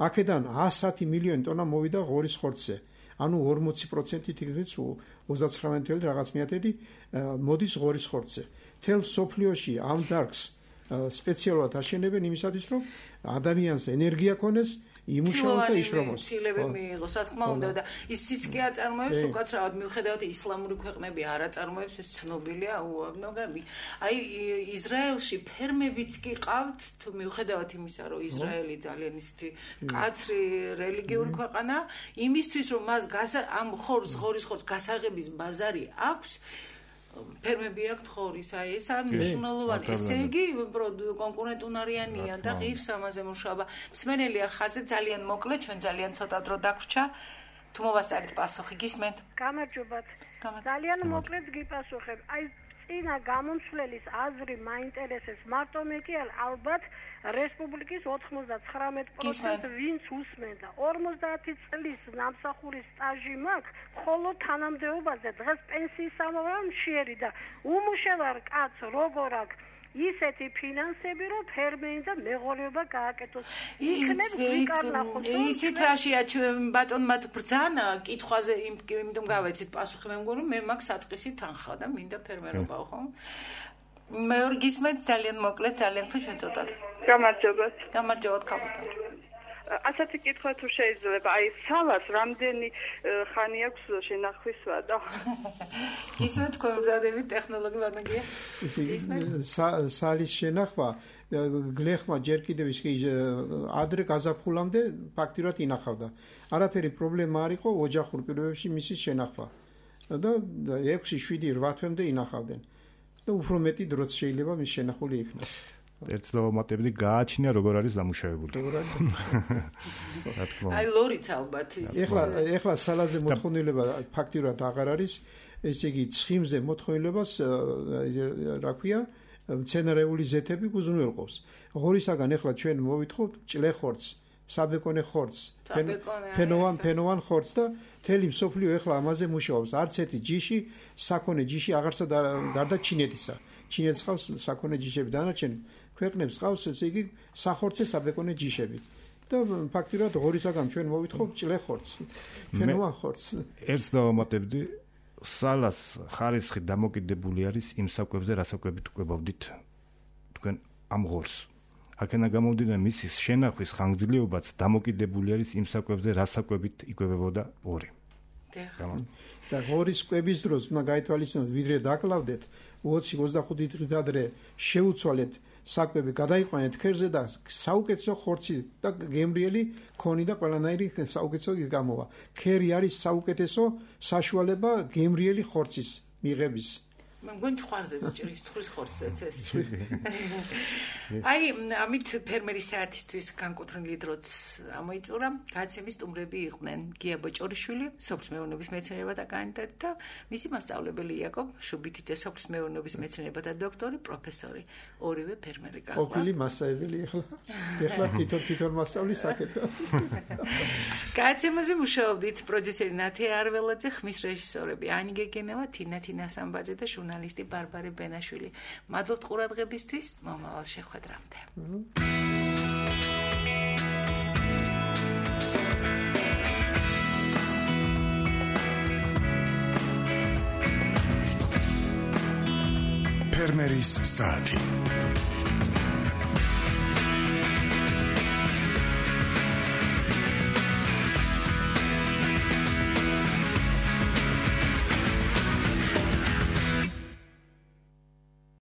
აქედან 110 მილიონი ტონა მოვიდა ღორის ხორცზე. ანუ 40% თითქმის 39 რაღაც მიათედი მოდის ღორის ხორცზე. თელ სოფლიოში ამ დარგს სპეციალურად აშენებენ იმისათვის, რომ ადამიანს ენერგია ქონდეს, იმუშაოს და იშრომოს. ცილები მიიღოს, რა თქმა უნდა და ის სიცკე აწარმოებს უკაცრავად მიუხედავად ისლამური ქვეყნები არ აწარმოებს, ეს ცნობილია უამრავი. აი ისრაელში ფერმებიც კი ყავთ, თუ მიუხედავად იმისა, რომ ისრაელი ძალიან ისეთი კაცრი რელიგიური ქვეყანა, იმისთვის რომ მას ამ ღორის ხორცს გასაღების ბაზარი აქვს ფერმები აქვთ ხორის, აი ეს არ მნიშვნელოვანი. ესე იგი კონკურენტუნარიანია და ღირს ამაზე მუშაობა. მსმენელია ხაზე ძალიან მოკლე, ჩვენ ძალიან ცოტა დრო დაგვრჩა. თუ მოვასწარეთ პასუხი, გისმენთ? გამარჯობათ. ძალიან მოკლედ გიპასუხებ. აი წინა გამომცვლელის აზრი მაინტერესებს მარტო მე კი ალბათ რესპუბლიკის 99% ვინც უსმენდა 50 წლის ნამსახურის სტაჟი მაქვს ხოლო თანამდებობაზე დღეს პენსიის ამოვება მშიერი და უმუშევარ კაც როგორ აქვს ისეთი ფინანსები რომ ფერმერი და მეღორეობა გააკეთოს იქნებ ვიკარნახოთ იცით რაშია ბატონმა ბრძანა კითხვაზე იმიტომ გავეცით პასუხი მე მგონი მე მაქვს საწყისი თანხა და მინდა ფერმერობაო ხო მეორე გისმენთ ძალიან მოკლედ ძალიან თუ შეწოდოთ გამარჯობათ კაპიტანი ასეთი კითხვა თუ შეიძლება აი სალას რამდენი ხანი აქვს შენახვისვა და გისმენთ თქვენ მზადებით ტექნოლოგი ბატონია სალის შენახვა გლეხმა ჯერ კიდევ ის ადრე გაზაფხულამდე ფაქტიურად ინახავდა არაფერი პრობლემა არ იყო ოჯახურ პირობებში მისი შენახვა და 6-7-8 თვემდე ინახავდნენ და უფრო მეტი დროც შეიძლება მის შენახული იქნას ერთ დავამატებდი გააჩნია როგორ არის დამუშავებული. რა თქმა უნდა. აი ლორიც ალბათ ის. ეხლა სალაზე მოთხოვნილება ფაქტიურად აღარ არის, ესე იგი ცხიმზე მოთხოვნილებას რა ქვია, მცენარეული ზეთები გუზრუნველყოფს. ღორისაგან ეხლა ჩვენ მოვითხოვთ ჭლეხორცს, საბეკონე ხორცს, ფენოვან ხორცს და მთელი მსოფლიო ეხლა ამაზე მუშაობს. არც ერთი ჯიში, საქონე ჯიში აღარსა გარდა ჩინეთისა. ჩინეთს ყავს საქონე ჯიშები, დანარჩენ ქვეყნებს ყავს ესე იგი სახორცე საბეკონე ჯიშები. და ფაქტიურად ღორისაგან ჩვენ მოვითხოვ ჭლე ხორცს, ფენოვან ხორცს. ერთს დავამატებდი, სალას ხარისხი დამოკიდებული არის იმ საკვებზე, რა საკვებით უკვებავდით თქვენ ამ ღორს. აქენა გამომდინარე მისი შენახვის ხანგრძლივობაც დამოკიდებული არის იმ საკვებზე, რა საკვებით იკვებებოდა ორი. და ღორის კვების დროს უნდა გაითვალისწინოთ, ვიდრე დაკლავდეთ 20-25 დღით ადრე შეუცვალეთ საკვები, გადაიყვანეთ ქერზე და საუკეთესო ხორცი და გემრიელი ქონი და ყველანაირი საუკეთესო გამოვა. ქერი არის საუკეთესო საშუალება გემრიელი ხორცის მიღების. მგონი ხარზეც ჭრის ცხრის ხორცზეც ეს. აი, ამით ფერმერის საათისთვის განკუთვნილი დროც ამოიწურა. გადაცემის სტუმრები იყვნენ გია ბოჭორიშვილი, სოფლის მეურნეობის მეცნიერებათა კანდიდატი და მისი მასწავლებელი იაკობ შუბითიძე, სოფლის მეურნეობის მეცნიერებათა დოქტორი, პროფესორი. ორივე ფერმერი გახდა. ყოფილი მასწავლებელი ეხლა თვითონ მასწავლის საკითხი. გადაცემაზე მუშაობდით პროდიუსერი ნათია არველაძე, ხმის რეჟისორები ანი გეგენევა, თინა თინასამბაძე და ჟურნალისტი ბარბარე ბენაშვილი. მადლობთ ყურადღებისთვის, მომავალ შეხვედრამდე. ფერმერის საათი.